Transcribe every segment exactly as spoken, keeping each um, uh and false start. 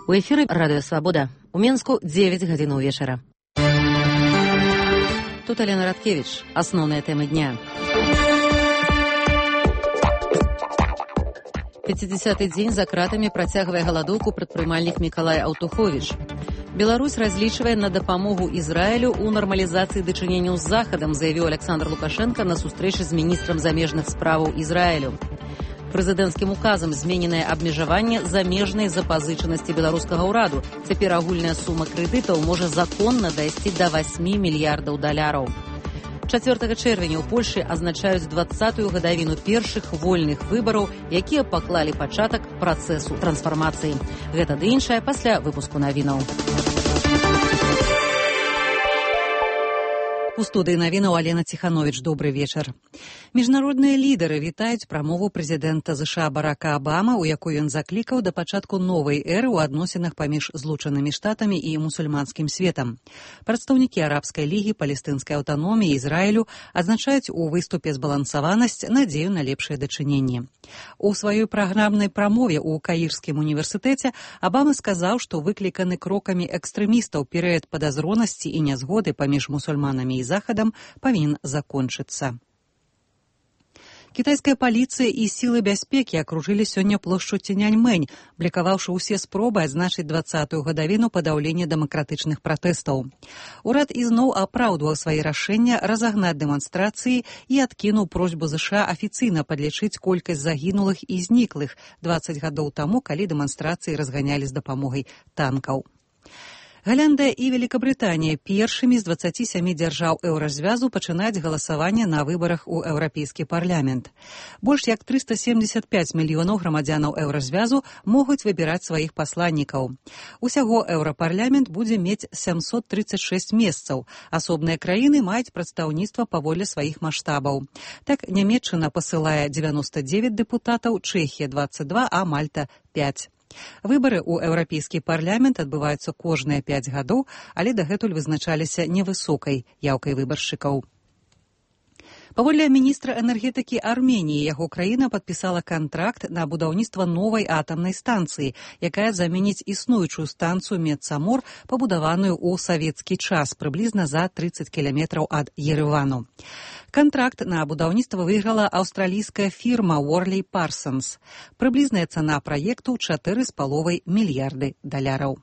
У эфіры Радыё Свабода. У Менску дзевяць гадзінаў вечара. Тут Алена Радкевич. Асноўныя тэмы дня. пяцідзясяты дзень за кратамі працягвае галадоўку прадпрымальнік Мікалай Аўтуховіч. Беларусь разлічвае на дапамогу Ізраілю ў нармалізацыі дачыненняў з Захадам, заявіў Александр Лукашенко на сустрэчы з міністрам замежных справаў Ізраілю. Прэзідэнцкім указам змененае абмежаванне замежнай запазычанасці беларускага ўраду. Цяпер агульная сума крэдытаў можа законна дайсці да васьмі мільярдаў даляраў. чацвёртага чэрвеня ў Польшы азначаюць дваццатую гадавіну першых вольных выбараў, якія паклалі пачатак працэсу трансфармацыі. Гэта ды іншае пасля выпуску навінаў. У студыі навінаў Алена Ціхановіч. Добры вечар. Міжнародныя лідары вітаюць прамову прэзідэнта ЗША Барака Абама, у якой ён заклікаў да пачатку новай эры ў адносінах паміж Злучанымі Штатамі і мусульманскім светам. Прадстаўнікі арабскай лігі, палестынскай аўтаноміі, Ізраілю адзначаюць у выступе збалансаванасць, надзею на лепшае дачыненне. У сваёй праграмнай прамове ў Каірскім універсітэце Абама сказаў, што выкліканы крокамі экстрэмістаў перыяд падазронасці і нязгоды паміж мусульманамі і Захадам павінен закончыцца. Кітайская паліцыя і сілы бяспекі акружылі сёння плошчу Цяньаньмэнь, блікаваўшы ўсе спробы адзначыць дваццатую гадавіну падаўлення дэмакратычных пратэстаў. Урад ізноў апраўдваў свае рашэння разагнаць дэманстрацыі і адкінуў просьбу ЗША афіцыйна падлічыць колькасць загінулых і зніклых дваццаць гадоў таму, калі дэманстрацыі разганялі з дапамогай танкаў. Галандыя і Великабрытанія першымі з дваццаці сямі дзяржаў еўразвязу пачынаюць галасаванне на выбарах у Еўрапейскі парламент. Больш як трыста семдзесят пяць мільёнаў грамадзянаў еўразвязу могуць выбіраць сваіх пасланнікаў. Усяго еўрапарламент будзе мець сямсот трыццаць шэсць месцаў. Асобныя краіны маюць прадстаўніцтва паводле сваіх маштабаў. Так, Нямецчына пасылае дзевяноста дзевяць дэпутатаў, Чэхія дваццаць два, а Мальта пяць. Выбары ў Еўрапейскі парламент адбываюцца кожныя пяць гадоў, але дагэтуль вызначаліся невысокай яўкай выбаршчыкаў. Паводле міністра энергетыкі Арменіі, яго краіна падпісала кантракт на будаўніцтва новай атамнай станцыі, якая заменіць існуючую станцыю Медсамор, пабудаваную ў савецкі час, прыблізна за трыццаць кіламетраў ад Ерэвану. Кантракт на будаўніцтва выйграла аўстралійская фірма Worley Parsons. Прыблізная цана праекту чатыры з паловай мільярды даляраў.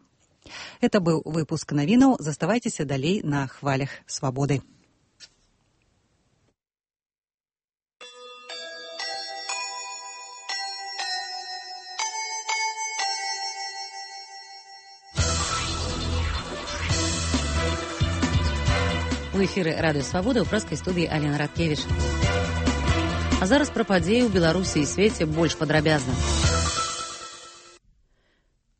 Это быў выпуск навінаў. Заставайцеся далей на хвалях свабоды. У эфіры Радыё Свабода ў праскай студыі Алена Радкевич. А зараз пра падзеі ў Беларусі і свеце больш падрабязна.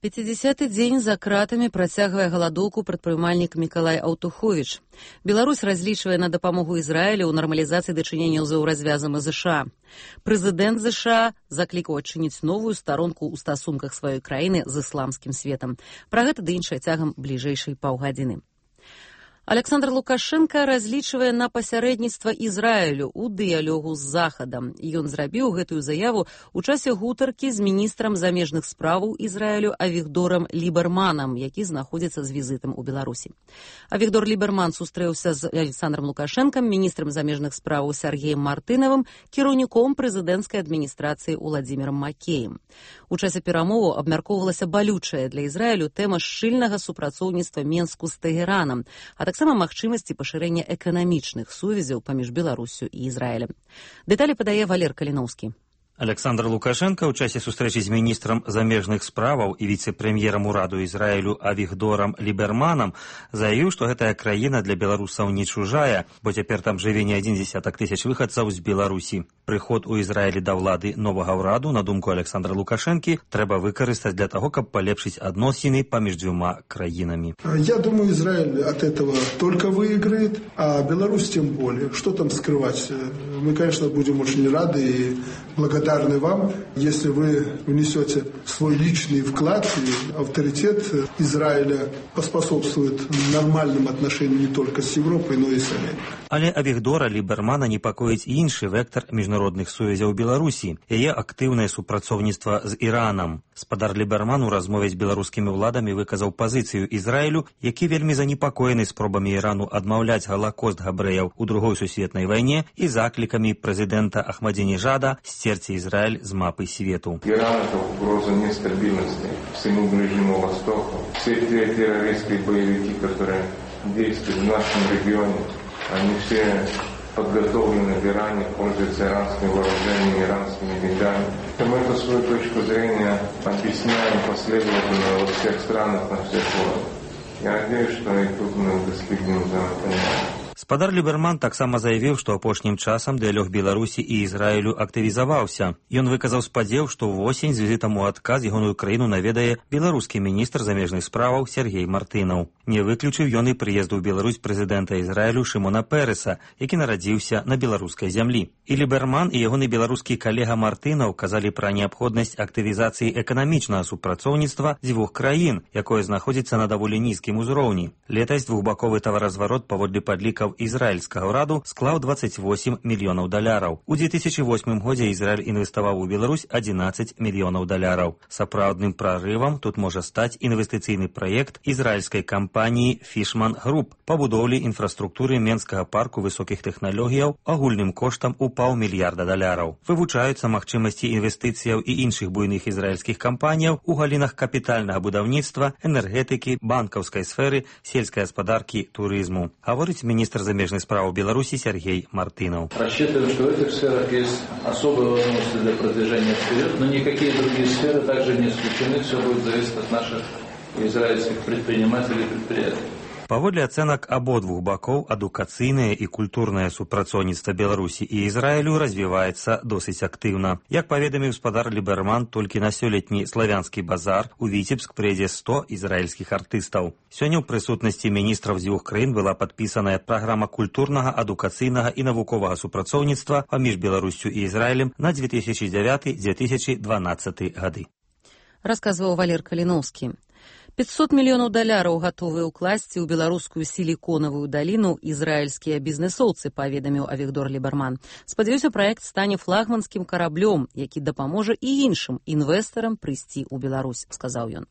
пяцідзясяты дзень за кратамі працягвае галадоўку прадпрымальнік Мікалай Аўтуховіч. Беларусь разлічвае на дапамогу Ізраілю ў нармалізацыі дачыненняў з еўразвязам і ЗША. Прэзідэнт ЗША заклікаў адчыніць новую старонку ў стасунках сваёй краіны з ісламскім светам. Пра гэта ды іншае цягам бліжэйшай паўгадзіны. Александр Лукашенко разлічвае на пасярэдніцтва Ізраілю ў дыялогу з Захадам. Ён зрабіў гэтую заяву ў часе гутаркі з міністрам замежных справаў Ізраілю Авігдорам Ліберманам, які знаходзіцца з візітам у Беларусі. Авігдор Ліберман сустрэўся з Александром Лукашенком, міністрам замежных справаў Сергеем Мартынавым, кіраўніком прэзідэнцкай адміністрацыі Уладзімірам Макеем. У часе перамоваў абмяркоўвалася балючая для Ізраілю тэма шчыльнага супрацоўніцтва Менску з Тэгеранам, а таксама магчымасці пашырэння эканамічных сувязяў паміж Беларуссю і Ізраілем. Дэталі падае Валер Каліноўскі. Александр Лукашенко ў часе сустрэчы з міністрам замежных справаў і віцэ-прэм'ерам ураду Ізраілю Авігдорам Ліберманам заявіў, што гэтая краіна для беларусаў не чужая, бо цяпер там жыве не адзін дзесятак тысяч выхадцаў з Беларусі. Прыход у Ізраілі да ўлады новага ўраду, на думку Александра Лукашэнкі, трэба выкарыстаць для таго, каб палепшыць адносіны паміж дзвюма краінамі. Я думаю, Израиль от этого только выиграет, а Беларусь тем более. Что там скрывать? Мы, конечно, будем очень рады и благодарны благодарны вам, если вы внесете свой личный вклад, и авторитет Израиля поспособствует нормальным отношениям не только с Европой, но и с Америкой. Але Авігдора Лібермана непакоїць іншы вектор міжнародных сувязяў Беларусі, яе актыўнае супрацоўніцтва з Іранам. Спадар Ліберман у размове з беларускімі ўладамі выказаў пазіцыю Ізраілю, які вельмі занепакоены спробамі Ірану адмаўляць галакост габрэяў у другой сусветнай вайне і заклікамі прэзідэнта Ахмадзінежада сцерці Израиль з мапы свету. Иран – это угроза нестабильности всему Ближнему Востоку. Все те террористские боевики, которые действуют в нашем регионе, они все подготовлены в Иране, пользуются иранскими вооружениями, иранскими деньгами. Мы эту свою точку зрения объясняем последовательно во всех странах, на всех уровнях. Я надеюсь, что и тут мы достигнем взаимопонимания. Спадар Ліберман таксама заявіў, што апошнім часам дыялог Беларусі і Ізраілю актывізаваўся. Ён выказаў спадзеў, што ўвосень з візітам у адказ ягоную краіну наведае беларускі міністр замежных справаў Сергей Мартынаў. Не выключыў ён і прыезду ў Беларусь прэзідэнта Ізраілю Шымона Пэрэса, які нарадзіўся на беларускай зямлі. І Ліберман і ягоны беларускі калега Мартынаў казалі пра неабходнасць актывізацыі эканамічнага супрацоўніцтва дзвюх краін, якое знаходзіцца на даволі нізкім узроўні. Летась двухбаковы таваразварот паводле падлікаў ізраільскага ўраду склаў дваццаць восем мільёнаў даляраў. У две тысячи восьмым годзе Ізраіль інвеставаў у Беларусь адзінаццаць мільёнаў даляраў. Сапраўдным прарывам тут можа стаць інвестыцыйны праект ізраільскай кампаніі Fishman Group па будоўлі інфраструктуры Менскага парку высокіх тэхналогіяў агульным коштам у паўмільярда даляраў. Вывучаюцца магчымасці інвестыцыяў і іншых буйных ізраільскіх кампаніяў у галінах капітальнага будаўніцтва, энергетыкі, банкаўскай сферы, сельскай гаспадаркі, турызму. Гаворыць міністр замежных справ Беларуси Сергей Мартынов. Рассчитываем, что в этих сферах есть особые возможности для продвижения вперед, но никакие другие сферы также не исключены, все будет зависеть от наших израильских предпринимателей и предприятий. Паводле ацэнак абодвух бакоў, адукацыйнае і культурнае супрацоўніцтва Беларусі і Ізраілю развіваецца досыць актыўна. Як паведаміў спадар Ліберман, толькі на сёлетні славянскі базар у Віцебск прыйдзе сто ізраільскіх артыстаў. Сёння ў прысутнасці міністраў дзвюх краін была падпісаная праграма культурнага, адукацыйнага і навуковага супрацоўніцтва паміж Беларуссю і Ізраілем на две тысячи девятый — две тысячи дванадцатый гады. Расказваў Валер Каліноўскі. пятьсот мільёнаў даляраў гатовыя ўкласці ў беларускую сіліконавую даліну ізраільскія бізнесоўцы, паведаміў Авігдор Ліберман. Спадзяюся, праект стане флагманскім караблём, які дапаможа і іншым інвестарам прыйсці ў Беларусь, сказаў ён.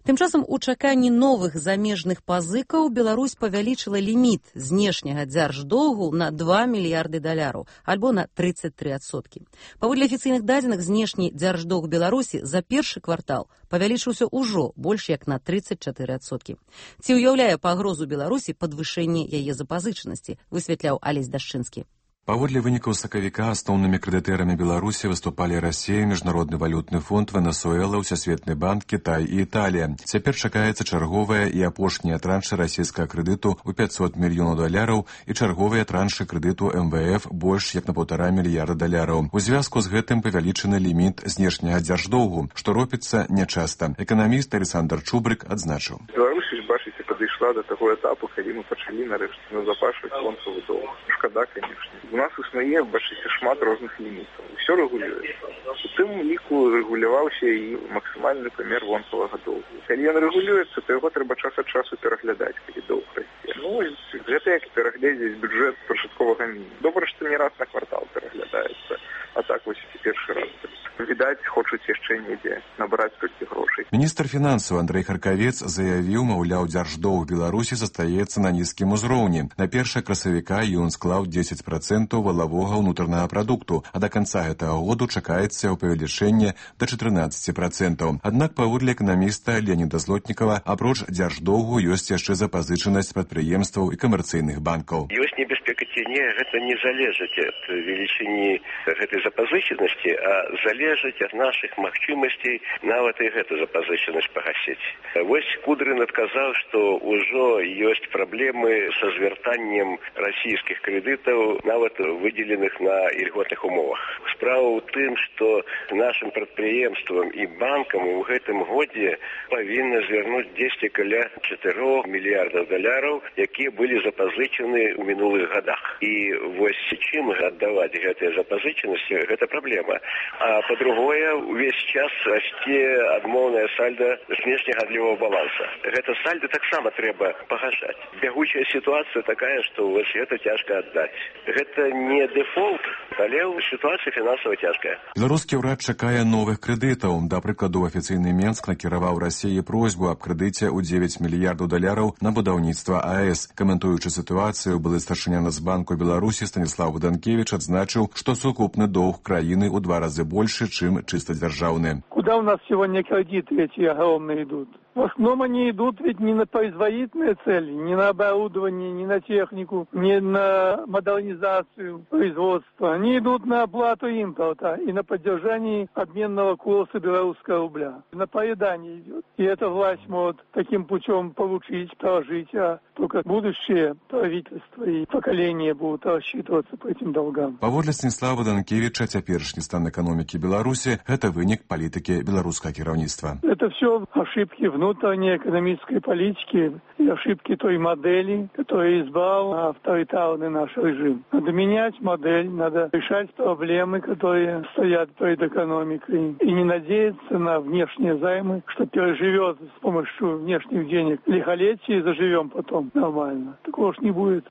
Тым часам у чаканні новых замежных пазыкаў Беларусь павялічыла ліміт знешняга дзярждоўгу на два мільярды даляраў, альбо на тридцать три адсоткі. Паводле афіцыйных дадзеных, знешні дзярждоўг Беларусі за першы квартал павялічыўся ўжо больш як на тридцать четыре адсоткі. Ці ўяўляе пагрозу Беларусі падвышэнне яе запазычанасці, высвятляў Алесь Дашчынскі. Паводле вынікаў сакавіка асноўнымі крэдытэрамі Беларусі выступалі Расія, Міжнародны валютны фонд, Венесуэла, Усесветны банк, Кітай і Італія. Цяпер чакаецца чарговая і апошняя траншы расійскага крэдыту ў пятьсот мільёнаў даляраў і чарговыя траншы крэдыту эм вэ эф больш як на паўтара мільярда даляраў. У звязку з гэтым павялічаны ліміт знешняга дзярждоўгу, што робіцца нячаста. Эканаміст Александр Чубрык адзначыў. Беларусь, бачыце, падышла да таго этапу, калі мы пачалі нарэшце назапашваць фонсавы доўг. Шкада, канешне. У нас існуе, бачыце, шмат розных лімітаў. Усё рэгулюецца. У тым ліку рэгуляваўся і максімальны памер вонкавага доўгу. Калі ён рэгулюецца, то яго трэба час ад часу пераглядаць, калі доўг расце. Ну, гэта як пераглядзець бюджэт пачатковага мінімуму. Добра, што не раз на квартал пераглядаецца. А так вось і першы раз. Відаць, хочуць яшчэ недзе набраць толькі грошай. Міністр фінансаў Андрэй Харкавец заявіў, маўляў, дзярждоўг Беларусі застаецца на нізкім узроўні. На першае красавіка ён склаў дзесяць працэнтаў валавога ўнутранага прадукту, а да канца гэтага году чакаецца павелічэнне да чатырнаццаці працэнтаў. Аднак, паводле эканаміста Леаніда Злотнікава, апроч дзярждоўгу ёсць яшчэ запазычанасць прадпрыемстваў і камерцыйных банкаў. Ёсць небяспека ці не, гэта не залежыць ад велічыні гэтай запазычанасці, а залежыць залежыць ад нашых магчымасцей нават і гэту запазычанасць пагасіць. Вось Кудрин адказаў, што ўжо ёсць праблемы са звяртаннем расійскіх крэдытаў, нават выдзеленых на ільготных умовах. Справа ў тым, што нашым прадпрыемствам і банкам у гэтым годзе павінна звярнуць дзесьці каля чатырох мільярдаў даляраў, якія былі запазычаны ў мінулых гадах. І вось чым аддаваць гэтыя запазычанасці, гэта праблема. А па-другое, увесь час расце адмоўная сальда знешнегандлёвага баланса. Гэта сальда таксама трэба пагашаць. Бягучая сітуацыя такая, што вось гэта цяжка аддаць. Гэта не дэфолт, але сітуацыя фінансава цяжкая. Беларускі ўрад чакае новых крэдытаў. Да прыкладу, афіцыйны Менск накіраваў Расіі просьбу аб крэдыце ў дзевяць мільярдаў даляраў на будаўніцтва АЭС. Каментуючы сітуацыю, былы старшыня Нацбанку Беларусі Станіслав Богданкевич адзначыў, што сукупны доўг краіны ў два разы больше, чым чисто дзяржаўны. Куда у нас сегодня кредиты эти огромные идут? В основном они идут ведь не на производительные цели, не на оборудование, не на технику, не на модернизацию производства. Они идут на оплату импорта и на поддержание обменного курса белорусского рубля. На поедание идет. И эта власть может таким путем получить, прожить, а только будущее правительство и поколения будут рассчитываться по этим долгам. Паводле Станіслава Данкевича, цяперашні стан эканомікі Беларусі – гэта вынік палітыкі беларускага кіраўніцтва. Это все ошибки внутренней экономической политики и ошибки той модели, которую избрал авторитарный наш режим. Надо менять модель, надо решать проблемы, которые стоят перед экономикой, и не надеяться на внешние займы, что переживет с помощью внешних денег лихолетие и заживем потом нормально. Такого ж не будет.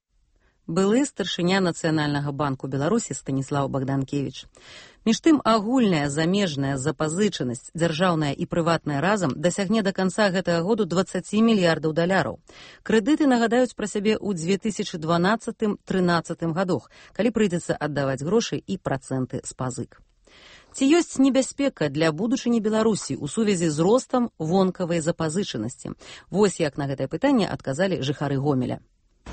Былы старшыня Нацыянальнага банку Беларусі Станіслав Богданкевич. Між тым, агульная замежная запазычанасць, дзяржаўная і прыватная разам, дасягне да канца гэтага году дваццаць мільярдаў даляраў. Крэдыты нагадаюць пра сябе ў две тысячы дванаццатым — трынаццатым гадах, калі прыйдзецца аддаваць грошы і працэнты з пазык. Ці ёсць небяспека для будучыні Беларусі ў сувязі з ростам вонкавай запазычанасці? Вось як на гэтае пытанне адказалі жыхары Гомеля.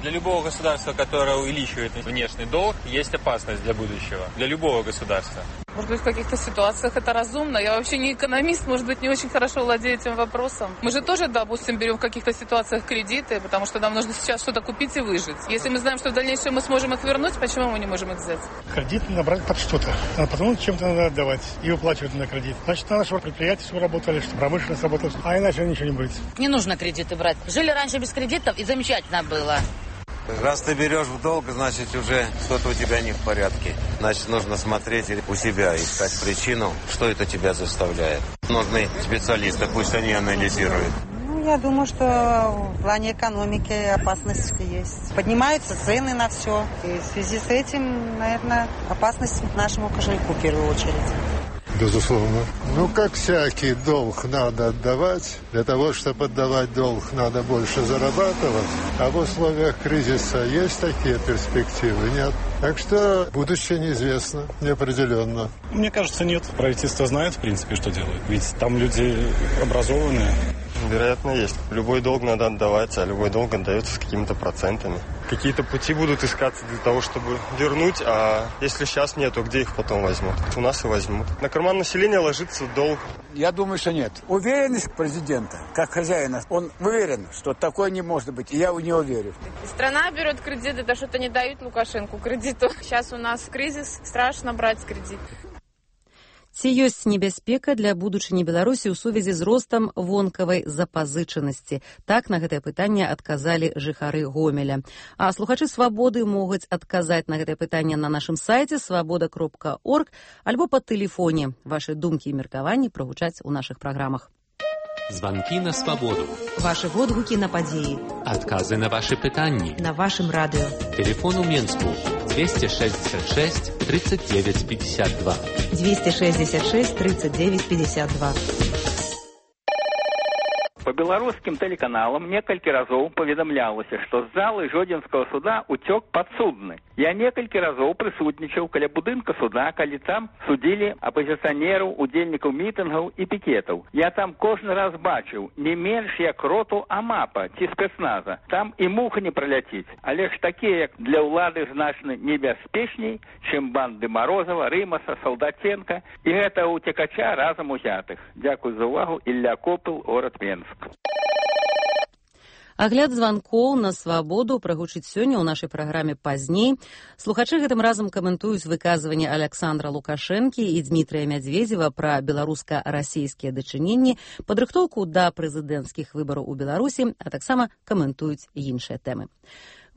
Для любого государства, которое увеличивает внешний долг, есть опасность для будущего. Для любого государства. Может быть, в каких-то ситуациях это разумно. Я вообще не экономист, может быть, не очень хорошо владею этим вопросом. Мы же тоже, допустим, берем в каких-то ситуациях кредиты, потому что нам нужно сейчас что-то купить и выжить. Если мы знаем, что в дальнейшем мы сможем их вернуть, почему мы не можем их взять? Кредит надо брать под что-то, а потом чем-то надо отдавать и выплачивать на кредит. Значит, надо, чтобы предприятия все работали, чтобы промышленность работала, а иначе ничего не будет. Не нужно кредиты брать. Жили раньше без кредитов, и замечательно было. Раз ты берешь в долг, значит, уже что-то у тебя не в порядке. Значит, нужно смотреть у себя, искать причину, что это тебя заставляет. Нужны специалисты, пусть они анализируют. Ну, я думаю, что в плане экономики опасность есть. Поднимаются цены на все. И в связи с этим, наверное, опасность нашему кошельку в первую очередь. Безусловно. Ну, как всякий долг надо отдавать. Для того, чтобы отдавать долг, надо больше зарабатывать. А в условиях кризиса есть такие перспективы? Нет. Так что будущее неизвестно, неопределенно. Мне кажется, нет. Правительство знает, в принципе, что делает. Ведь там люди образованные. Вероятно, есть. Любой долг надо отдавать, а любой долг отдается с какими-то процентами. Какие-то пути будут искаться для того, чтобы вернуть, а если сейчас нет, то где их потом возьмут? У нас и возьмут. На карман населения ложится долг. Я думаю, что нет. Уверенность президента, как хозяина, он уверен, что такое не может быть, и я в него верю. Страна берет кредиты, да что-то не дают Лукашенку кредиту. Сейчас у нас кризис, страшно брать кредит. Ці ёсць небяспека для будучыні Беларусі ў сувязі з ростам вонкавай запазычанасці? Так на гэтае пытанне адказалі жыхары Гомеля. А слухачы Свабоды могуць адказаць на гэтае пытанне на нашым сайце свабода кропка орг альбо па тэлефоне. Вашы думкі і меркаванні прагучаць у нашых праграмах. Звонки на свободу. Ваши водгуки на подеи. Отказы на ваши пытанни. На вашем радио. Телефон у Менску двести шестьдесят шесть тридцать девять пятьдесят два. двести шестьдесят шесть тридцать девять пятьдесят два. По беларускім тэлеканалам некалькі разоў паведамлялася, што з залы Жодзінскага суда уцёк падсудны. Я некалькі разоў прысутнічаў каля будынка суда, калі там судзілі апазіцыянераў, удзельнікаў мітынгаў і пікетаў. Я там кожны раз бачыў не менш як роту АМАПа ці спецназа. Там і муха не праляціць. Але ж такія, як для ўлады, значна небяспечней, чым банды Марозава, Рымаса, Салдатенка і гэта уцекача разам узятых. Дзякуй за ўвагу. Ілля Копыл, горад Менск. Агляд званкоў на свабоду прагучыць сёння ў нашай праграме пазней. Слухачы гэтым разам каментуюць выказванне Александра Лукашэнкі і Дмітрыя Мядзведзева пра беларуска-расійскія дачыненні, падрыхтоўку да прэзідэнцкіх выбараў у Беларусі, а таксама каментуюць іншыя тэмы.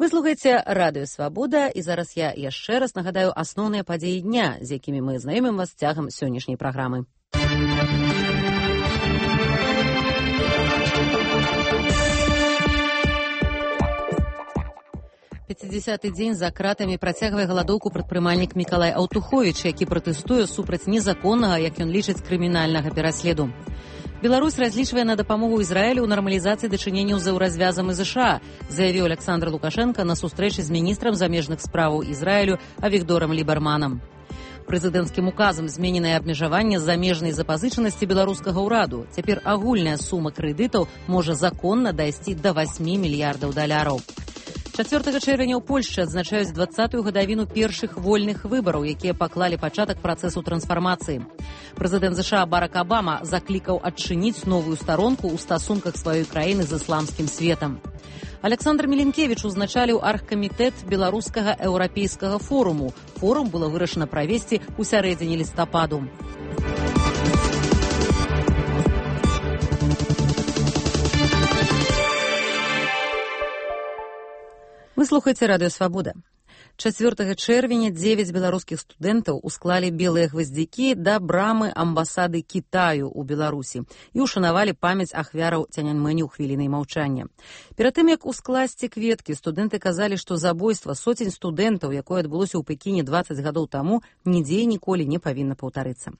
Вы слухаеце Радыё Свабода, і зараз я яшчэ раз нагадаю асноўныя падзеі дня, з якімі мы знаёмім вас цягам сённяшняй праграмы. пяцідзясяты дзень за кратамі працягвае галадоўку прадпрымальнік Мікалай Аўтуховіч, які пратэстуе супраць незаконнага, як ён лічыць, крымінальнага пераследу. Беларусь разлічвае на дапамогу Ізраілю ў нармалізацыі дачыненняў з еўразвязам і ЗША, заявіў Александр Лукашенко на сустрэчы з міністрам замежных справаў Ізраілю Авігдорам Ліберманам. Прэзідэнцкім указам змененае абмежаванне замежнай запазычанасці беларускага ўраду. Цяпер агульная сума крэдытаў можа законна дайсці да васьмі мільярдаў даляраў. чацвёртага чэрвеня ў Польшчы адзначаюць дваццатую гадавіну першых вольных выбараў, якія паклалі пачатак працэсу трансфармацыі. Прэзідэнт ЗША Барак Абама заклікаў адчыніць новую старонку ў стасунках сваёй краіны з ісламскім светам. Александр Міленкевіч узначаліў аргкамітэт беларускага еўрапейскага форуму. Форум было вырашана правесці ў сярэдзіне лістападу. Вы слухаеце Радыё Свабода. чацвёртага чэрвеня дзевяць беларускіх студэнтаў усклалі белыя гваздзікі да брамы амбасады Кітаю ў Беларусі і ушанавалі памяць ахвяраў Цяньаньмэню хвілінай маўчання. Перад тым, як ускласці кветкі, студэнты казалі, што забойства соцень студэнтаў, якое адбылося ў Пекіне дваццаць гадоў таму, нідзе і ніколі не павінна паўтарыцца.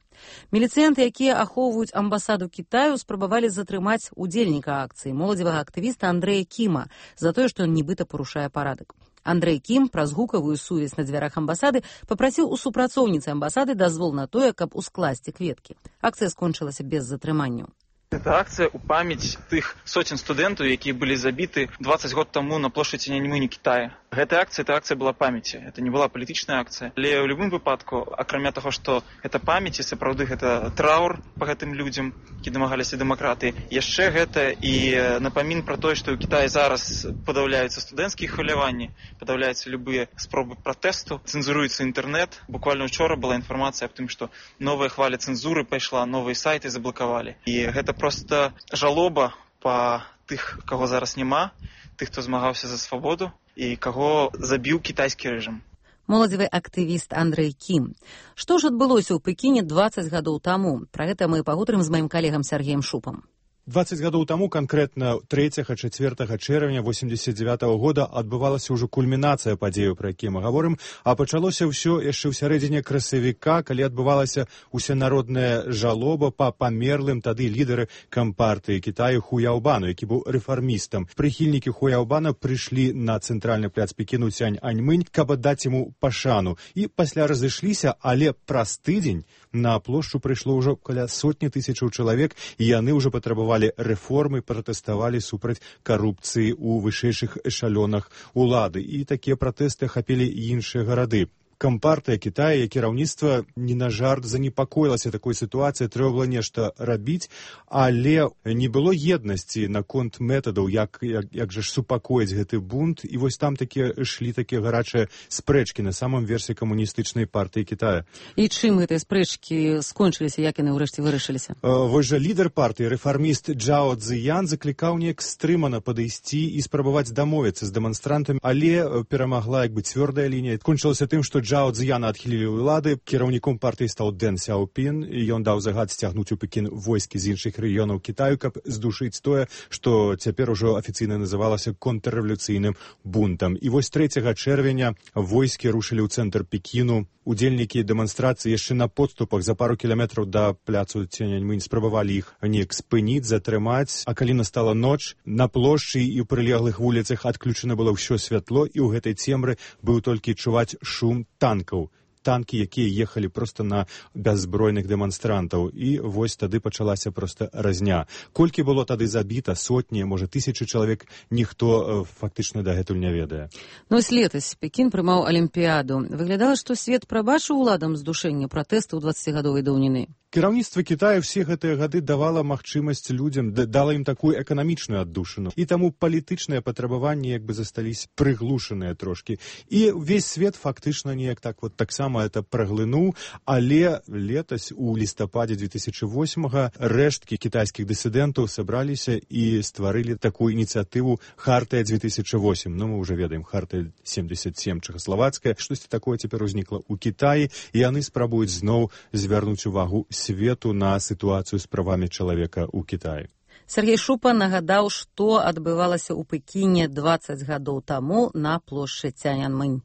Міліцыянты, якія ахоўваюць амбасаду Кітаю, спрабавалі затрымаць удзельніка акцыі, моладзевага актывіста Андрэя Кіма, за тое, што ён нібыта парушае парадак. Андрэй Кім праз гукавую сувязь на дзвярах амбасады папрасіў у супрацоўніцы амбасады дазвол на тое, каб ускласці кветкі. Акцыя скончылася без затрыманняў. Это акция у памяць тых сотен студэнтаў, якія былі забіты дваццаць год таму на плошчадзі Цяньаньмэню Кітая. Гэта акция, это акция была памяці. Это не была палітычная акция. Але ў любым выпадку, акрамя таго, што гэта памяць і сапраўды гэта траур па гэтым людзям, які дамагаліся дэмакратыі, яшчэ гэта і напамін пра тое, што ў Кітаі зараз падаўляюцца студэнцкія хваляванні, падаўляюцца любыя спробы пратэсту, цэнзуруецца інтэрнэт. Буквально учора была інфармацыя аб тым, што новая хваля цэнзуры пайшла, новыя сайты заблакавалі. І гэта просто жалоба па тых, каго зараз няма, тых, хто змагаўся за свабоду і каго забіў кітайскі рэжым. Моладзевы актывіст Андрэй Кім. Што ж адбылося ў Пекіне дваццаць гадоў таму? Пра гэта мы пагутарым з маім калегам Сергеем Шупам. дваццаць гадоў таму, канкрэтна трэцяга-чацвёртага чэрвеня восемьдесят девятого года адбывалася ўжо кульмінацыя падзеяў, пра якія мы гаворым, а пачалося ўсё яшчэ ў сярэдзіне красавіка, калі адбывалася усенародная жалоба па памерлым тады лідары кампартыі Кітаю Хуяўбану, які быў рэфармістам. Прыхільнікі Хуяўбана прыйшлі на цэнтральны пляц Пекіну Цяньаньмэнь, каб аддаць яму пашану. І пасля разышліся, але праз тыдзень на плошчу прыйшло ўжо каля сотні тысячаў чалавек, і яны ўжо патрабавалі рэформы, пратэставалі супраць карупцыі ў вышэйшых эшалёнах улады. І такія пратэсты ахапілі іншыя гарады. Кампартыя Кітая, як кіраўніцтва не на жарт занепакоілася такой сітуацыі, трэба было нешта рабіць, але не было еднасці наконт метадаў, як, як, як жа ж супакоіць гэты бунт, і вось там такія ішлі такія гарачыя спрэчкі на самым версе камуністычнай партыі Кітая. І чым гэтыя спрэчкі скончыліся, як яны ўрэшце вырашыліся? Вось жа лідар партыі, рэфарміст Джао Цзіян, заклікаў неяк стрымана падысці і спрабаваць дамовіцца з дэманстрантамі, але перамагла як бы цвёрдая лінія. Кончылася тым, што Джао Цзіяна адхілілі ўлады, кіраўніком партыі стаў Дэн Сяопін, і ён даў загад сцягнуць у Пекін войскі з іншых рэгіёнаў Кітаю, каб здушыць тое, што цяпер ужо афіцыйна называлася контррэвалюцыйным бунтам. І вось трэцяга чэрвеня войскі рушылі ў цэнтр Пекіну. Удзельнікі дэманстрацыі яшчэ на подступах за пару кіламетраў да пляцу Цяньаньмэнь спрабавалі іх неяк спыніць, затрымаць, а калі настала ноч, на плошчы і ў прылеглых вуліцах адключана было ўсё святло, і ў гэтай цемры быў толькі чуваць шум танкаў. Танкі, якія ехалі проста на бяззбройных дэманстрантаў. І вось тады пачалася проста разня. Колькі было тады забіта, сотні, можа, тысячы чалавек, ніхто фактычна дагэтуль не ведае. Ну, ось летась Пекін прымаў Алімпіяду. Выглядала, што свет прабачыў уладам здушэння пратэстаў дваццацігадовай даўніны. Кіраўніцтва Кітаю ўсе гэтыя гады давала магчымасць людзям, дала ім такую эканамічную аддушыну. І таму палітычныя патрабаванні як бы застались прыглушаныя трошкі. І ўвесь свет фактычна неяк так вот таксама это праглынуў, але летась у лістападзе две тысячи восьмага рэшткі кітайскіх дысідэнтаў сабраліся і стварылі такую ініцыятыву Хартыя две тысячи восемь. Ну, мы ўжо ведаем, Хартыя семьдесят семь чэхаславацкая. Штосьці такое цяпер узнікла ў Кітаі, і яны спрабуюць зноў звярнуць увагу свету на сітуацыю з правамі чалавека ў Кітаі. Сергей Шупа нагадаў, што адбывалася ў Пекіне дваццаць гадоў таму на плошчы Цяньаньмэнь.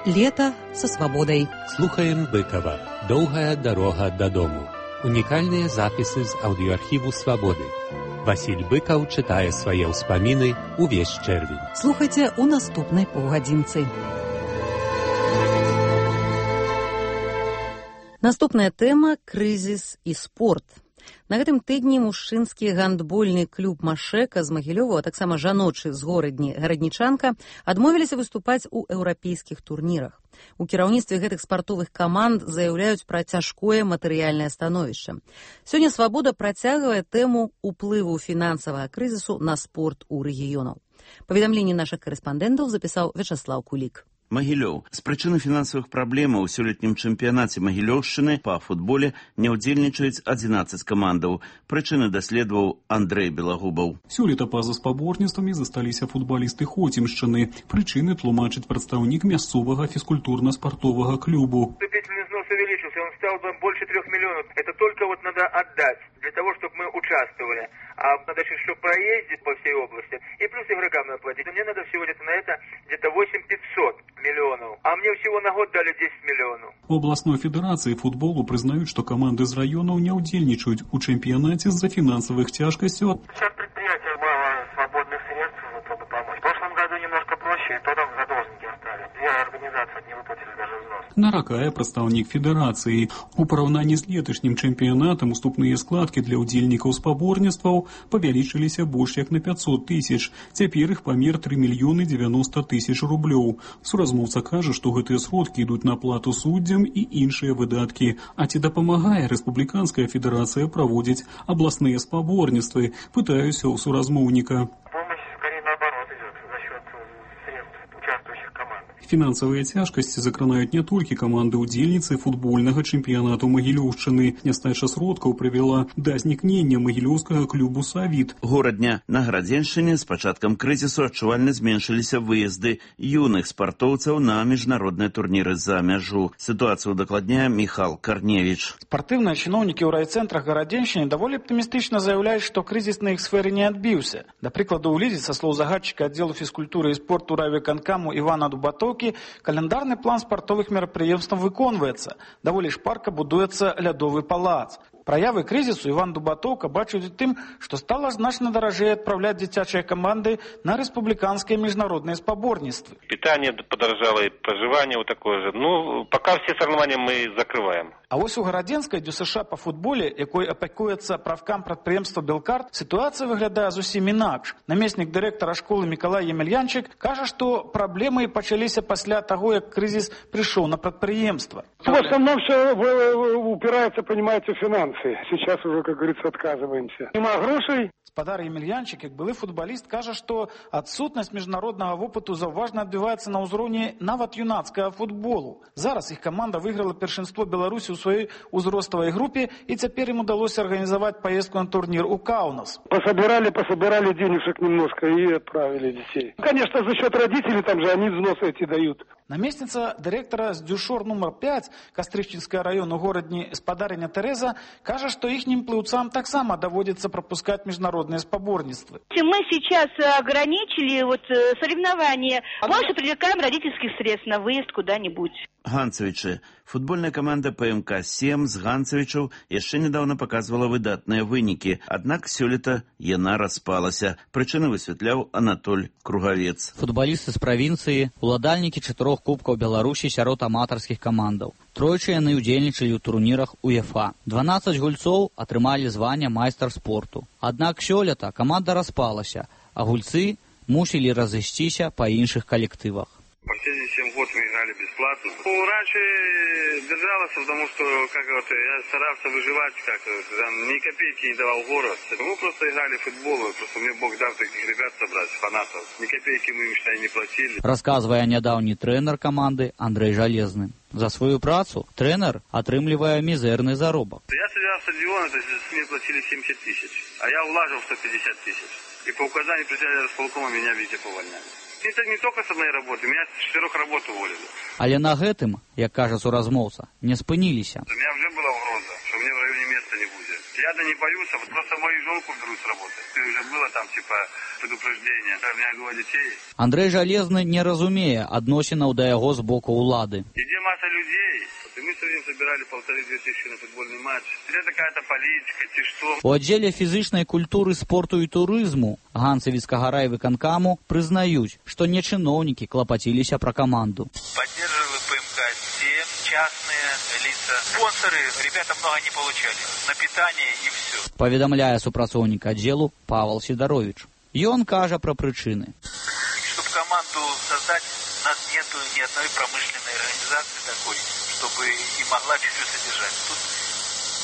Лето со свободой. Слухаем Быкова. Доўгая дарога дадому. Унікальныя запісы з аўдыёархіву «Свабоды». Васіль Быкаў чытае свае ўспаміны ўвесь чэрвень. Слухайце у наступнай паўгадзінцы. Наступная тэма – крызіс і спорт. На гэтым тыдні мужчынскі гандбольны клуб «Машэка» з Магілёва, а таксама жаночы з горадні «Гараднічанка» адмовіліся выступаць у еўрапейскіх турнірах. У кіраўніцтве гэтых спартовых каманд заяўляюць пра цяжкое матэрыяльнае становішча. Сёння «Свабода» працягвае тэму ўплыву фінансавага крызісу на спорт у рэгіёнаў. Паведамленне нашых карэспандэнтаў запісаў Вячаслаў Кулік. Магілёў. З прычыны фінансавых праблемаў у сёлетнім чэмпіянаце Магілёўшчыны па футболе не ўдзельнічаюць адзінаццаць камандаў. Прычыны даследаваў Андрэй Белагубаў. Сёлета па-за спаборніцтвамі засталіся футбалісты Хоцімшчыны. Прычыны тлумачыць прадстаўнік мясцовага фізкультурна-спартовага клубу. Вступительный взнос увеличился, он стал бы больше трех миллионов. Это только вот надо отдать для того, чтобы мы участвовали. А надо еще чтобы проездить по всей области. И плюс игрокам надо платить. Мне надо всего где-то на это где-то восемь тысяч пятьсот миллионов. А мне всего на год дали десять миллионов. У областной федерации футболу признают, что команды из районов не удельничают у чемпионате из-за финансовых тяжкостей. Сейчас предприятия мало свободных средств, чтобы помочь. В прошлом году немножко проще, и то там задолженники остались. Две организации не выплатили даже взнос. Наракае прадстаўнік федэрацыі. У параўнанні з леташнім чэмпіянатам уступныя складкі для ўдзельнікаў спаборніцтваў павялічыліся больш як на пятьсот тысяч. Цяпер іх памер три мільёны девяносто тысяч рублёў. Суразмоўца кажа, што гэтыя сродкі ідуць на плату суддзям і іншыя выдаткі. А ці дапамагае рэспубліканская федэрацыя праводзіць абласныя спаборніцтвы? Пытаюся ў суразмоўніка. Фінансавыя цяжкасці закранаюць не толькі каманды ўдзельніцы футбольнага чэмпіянату Магілёўшчыны. Нястача сродкаў прывяла да знікнення магілёўскага клубу «Савіт». Горадня. На Гарадзеншчыне з пачаткам крызісу адчувальна зменшыліся выезды юных спартоўцаў на міжнародныя турніры за мяжу. Сітуацыю дакладняе Міхал Карневіч. Спартыўныя чыноўнікі ў райцэнтрах Гарадзеншчыны даволі аптымістычна заяўляюць, што крызіс на іх сферы не адбіўся. Да прыкладу, у Лідзе, са слоў загадчыка аддзелу фізкультуры і спорту райвыканкаму Івана Дубатоўкі, календарны план спартовых мерапрыемстваў выконваецца. Даволі шпарка будуецца лядовы палац. Праявы крызісу Іван Дубатоўка бачыць у тым, што стала значна даражэй адпраўляць дзіцячыя каманды на рэспубліканскія міжнародныя спаборніцтвы. Питание подорожало, и проживание вот такое же. Ну, пока все соревнования мы закрываем. А вось у гарадзенскай ДЮСШ па футболе, якой апякуецца правкам прадпрыемства «Белкарт», сітуацыя выглядае зусім інакш. Намеснік дырэктара школы Мікалай Емельянчык кажа, што праблемы пачаліся пасля таго, як крызіс прыйшоў на прадпрыемства. В основном все упирается, понимаете, в финансы. эмоции. Сейчас уже, как говорится, отказываемся. Нема грошей. Спадар Емельянчик, як былы футбаліст, кажа, што адсутнасць міжнароднага вопыту заўважна адбіваецца на ўзроўні нават юнацкага футболу. Зараз іх каманда выйграла першынство Беларусі ў сваёй узроставай групе, і цяпер ім удалося арганізаваць паездку на турнір у Каунас. Пособирали, пособирали денежек немножко и отправили детей. Конечно, за счет родителей, там же они взносы эти дают. Намесніца дырэктара з Дюшор нумар пяць Кастрычніцкага району горадні спадарыня Тэрэза кажа, што іхнім плыўцам таксама даводзіцца прапускаць міжнародныя спаборніцтвы. Мы сейчас ограничили вот соревнования. Больше привлекаем родительских средств на выезд куда-нибудь. Ганцевічы. Футбольная каманда Пэ Эм Ка сем з Ганцевічаў яшчэ нядаўна паказвала выдатныя вынікі, аднак сёлета яна распалася. Прычыны высвятляў Анатоль Кругавец. Футбалісты з правінцыі, уладальнікі чатырох кубкаў Беларусі сярод аматарскіх камандаў. Тройчы яны ўдзельнічалі ў турнірах УЕФА. дванаццаць гульцоў атрымалі званне майстар спорту. Аднак сёлета каманда распалася, а гульцы мусілі разысціся па іншых калектывах. Последние семь год мы играли бесплатно. Ну, раньше держалось, потому что как вот, я старался выживать, как там, ни копейки не давал город. Мы просто играли в футбол, просто мне Бог дал таких ребят собрать, фанатов. Ни копейки мы им, считай, не платили. Рассказывая нядаўні трэнер команды Андрей Жалезны. За свою працу трэнер атрымлівае мізэрны заробак. Я сыграл стадион, то есть мне платили семьдесят тысяч, а я вложил сто пятьдесят тысяч. И по указанию председателя располкома меня, видите, повольняли. Это не только с одной работы, меня с четырех работ уволили. Але на гэтым, як кажа суразмоўца, не спыніліся. У меня уже была угроза, что мне в районе места не будет. Я-то не боюсь, а вот просто мою женку берут с работы. Ты уже было там, типа, предупреждение. У меня двое детей. Андрей Жалезны не разумее адносінаў да яго з боку ўлады. Где масса людей, и мы сегодня собирали полторы-две тысячи на футбольный матч. Это какая-то политика, ты что? У аддзеле фізычнай культуры, спорту і турызму Ганцевіцкага райвыканкаму прызнаюць, што не чыноўнікі клапаціліся пра каманду. Поддерживали Пэ Эм Ка семь, частные лица. Спонсоры, ребята много не получали. На питание и все. Паведамляе супрацоўнік аддзелу Павел Сидорович. Ён кажа пра прычыны. Чтобы команду создать, у нас нету ни одной промышленной организации такой, чтобы и могла чуть-чуть содержать. Тут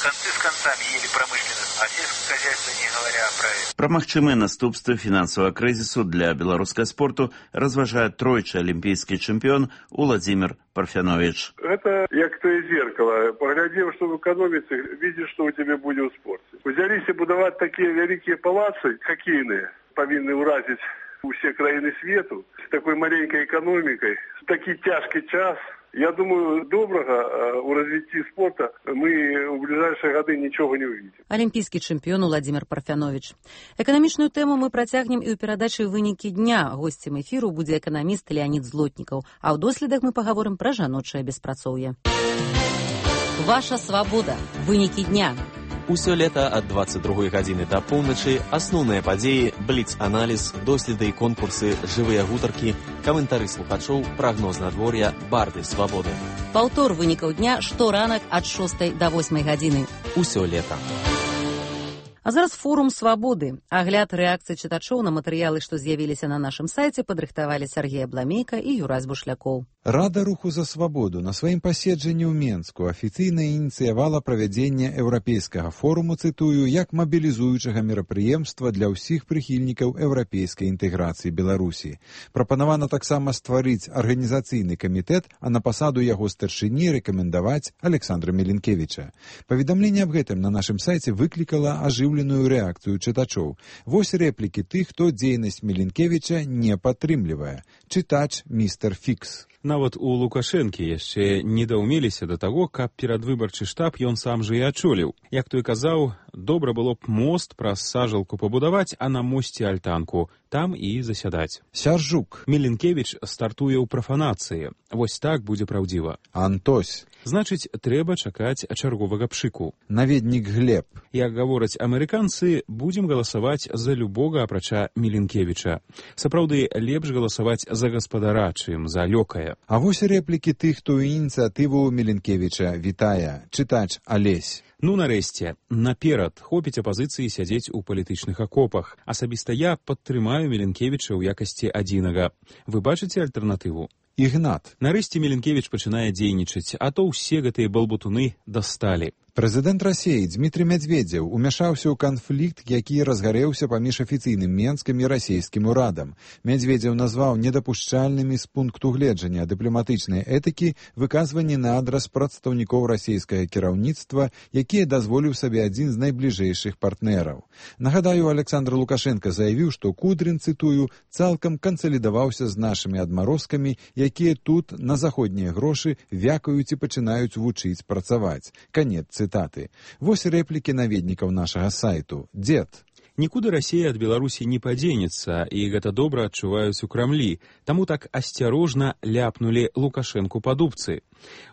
концы с концами ели промышленность, а сельское хозяйство не говоря про это. Пра магчымыя наступствы фінансавага крызісу для беларускага спорту разважае тройчы алімпійскі чэмпіён Уладзімір Парфянович. Это як тое зеркало. Поглядев, что в экономице, видишь, что у тебя будет в спорте. Взялись будовать такие великие палацы хоккейные, повинны уразить все краины свету, с такой маленькой экономикой, в такой тяжкий час. Я думаю, доброго у развития спорта мы в ближайшие годы ничего не увидим. Алімпійскі чэмпіён Уладзімір Парфянович. Эканамічную тэму мы працягнем і ў перадачы «Вынікі дня». Госцем эфіру будзе эканаміст Леонид Злотнікаў. А ў доследах мы пагаворым пра жаночае беспрацоўе. Ваша свабода. Вынікі дня. Усё лета ад дваццаць другой гадзіны да поўначы асноўныя падзеі, бліц-аналіз, доследы і конкурсы, жывыя гутаркі, каментары слухачоў, прагноз надвор'я, барды свабоды. Паўтор вынікаў дня шторанак ад шостай да восьмай гадзіны. Усё лета. А зараз форум свабоды. Агляд рэакцыі чытачоў на матэрыялы, што з'явіліся на нашым сайце, падрыхтавалі Сергей Абламейка і Юрась Бушлякоў. Рада руху за свабоду на сваім паседжанні ў Менску афіцыйна ініцыявала правядзенне еўрапейскага форуму, цытую, як мабілізуючага мерапрыемства для ўсіх прыхільнікаў еўрапейскай інтэграцыі Беларусі. Прапанавана таксама стварыць арганізацыйны камітэт, а на пасаду яго старшыні рэкамендаваць Александра Меленкевіча. Паведамленне аб гэтым на нашым сайце выклікала ажыўленую рэакцыю чытачоў. Вось рэплікі тых, хто дзейнасць Меленкевіча не падтрымлівае. Чытач містер Фікс. Нават у Лукашэнкі яшчэ не даўмеліся да таго, каб перадвыбарчы штаб ён сам жа і адчоліў. Як той казаў, добра было б мост праз сажалку пабудаваць, а на мосце альтанку. Там і засядаць. Сяржук. Меленкевіч стартуе ў прафанацыі. Вось так будзе праўдзіва. Антось. Значыць, трэба чакаць чарговага пшыку. Наведнік Глеб. Як гавораць амерыканцы, будзем галасаваць за любога апрача Меленкевіча. Сапраўды, лепш галасаваць за гаспадара, чым за лёкая. А вось рэплікі тых, хто ініцыятыву Меленкевіча вітае. Чытач Алесь. Ну, нарэшце, наперад хопіць апазіцыі сядзець у палітычных акопах. Асабіста я падтрымаю Меленкевіча ў якасці адзінага. Вы бачыце альтэрнатыву? Ігнат. Нарэшце Меленкевіч пачынае дзейнічаць, а то ўсе гэтыя балбутуны дасталі. Прэзідэнт Расіі Дмітрий Медведзеў умяшаўся ў канфлікт, які разгарэўся паміж афіцыйным Менскім і расійскім урадам. Медведзеў назваў недапушчальнымі з пункту гледжання дыпламатычнай этыкі выказванні на адрас прадстаўнікоў расійскага кіраўніцтва, якія дазволіў сабе адзін з найбліжэйшых партнераў. Нагадаю, Александр Лукашенко заявіў, што Кудрин, цытую, цалкам кансалідаваўся з нашымі адмарозкамі, якія тут на заходнія грошы вякаюць і пачынаюць вучыць працаваць. Канец цытаты. Вось рэплікі наведнікаў нашага сайту. Дзед. Нікуды Расія ад Беларусі не падзенецца, і гэта добра адчуваюць у Крамлі. Таму так асцярожна ляпнулі Лукашэнку па дубцы.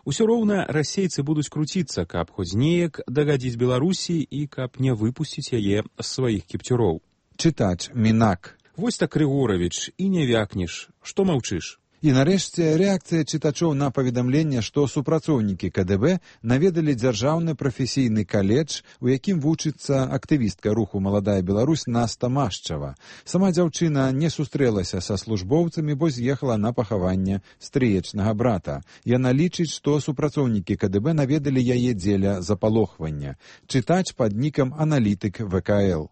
Усё роўна расейцы будуць круціцца, каб хоць неяк дагадзіць Беларусі і каб не выпусціць яе з сваіх кіпцюроў. Чытач Мінак. Вось так, Григорович, і не вякнеш. Што маўчыш? І нарэшце рэакцыя чытачоў на паведамленне, што супрацоўнікі ка дэ бэ наведалі дзяржаўны прафесійны каледж, у якім вучыцца актывістка руху «Маладая Беларусь» Наста Машчава. Сама дзяўчына не сустрэлася са службоўцамі, бо з'ехала на пахаванне стрыечнага брата. Яна лічыць, што супрацоўнікі ка дэ бэ наведалі яе дзеля запалохвання. Чытач пад нікам аналітык вэ ка эл.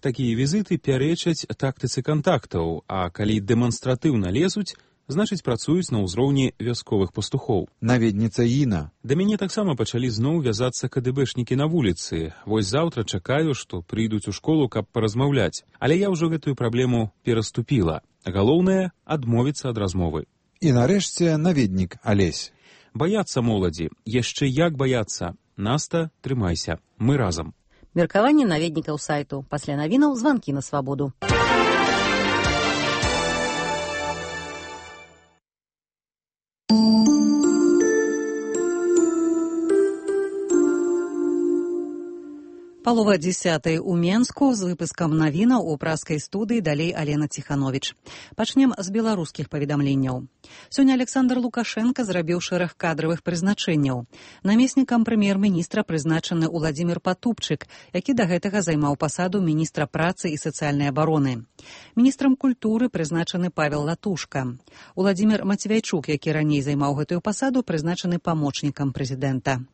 Такія візіты пярэчаць тактыцы кантактаў, а калі дэманстратыўна лезуць, значыць, працуюць на ўзроўні вясковых пастухоў. Наведніца Іна. Да мяне таксама пачалі зноў вязацца ка дэ бэшнікі на вуліцы. Вось заўтра чакаю, што прыйдуць у школу, каб паразмаўляць. Але я ўжо гэтую праблему пераступіла. Галоўнае — адмовіцца ад размовы. І нарэшце наведнік Алесь. Баяцца моладзі. Яшчэ як баяцца. Наста, трымайся. Мы разам. Меркаванне наведнікаў сайту. Пасля навінаў званкі на свабоду. Палова дзесятай у Менску з выпускам навінаў у праскай студыі, далей Алена Ціхановіч. Пачнем з беларускіх паведамленняў. Сёння Александр Лукашенко зрабіў шэраг кадравых прызначэнняў. Намеснікам прэм'ер-міністра прызначаны Уладзімір Патупчык, які да гэтага займаў пасаду міністра працы і сацыяльнай абароны. Міністрам культуры прызначаны Павел Латушка. Уладзімір Мацвейчук, які раней займаў гэтую пасаду, прызначаны памочнікам прэзідэнта.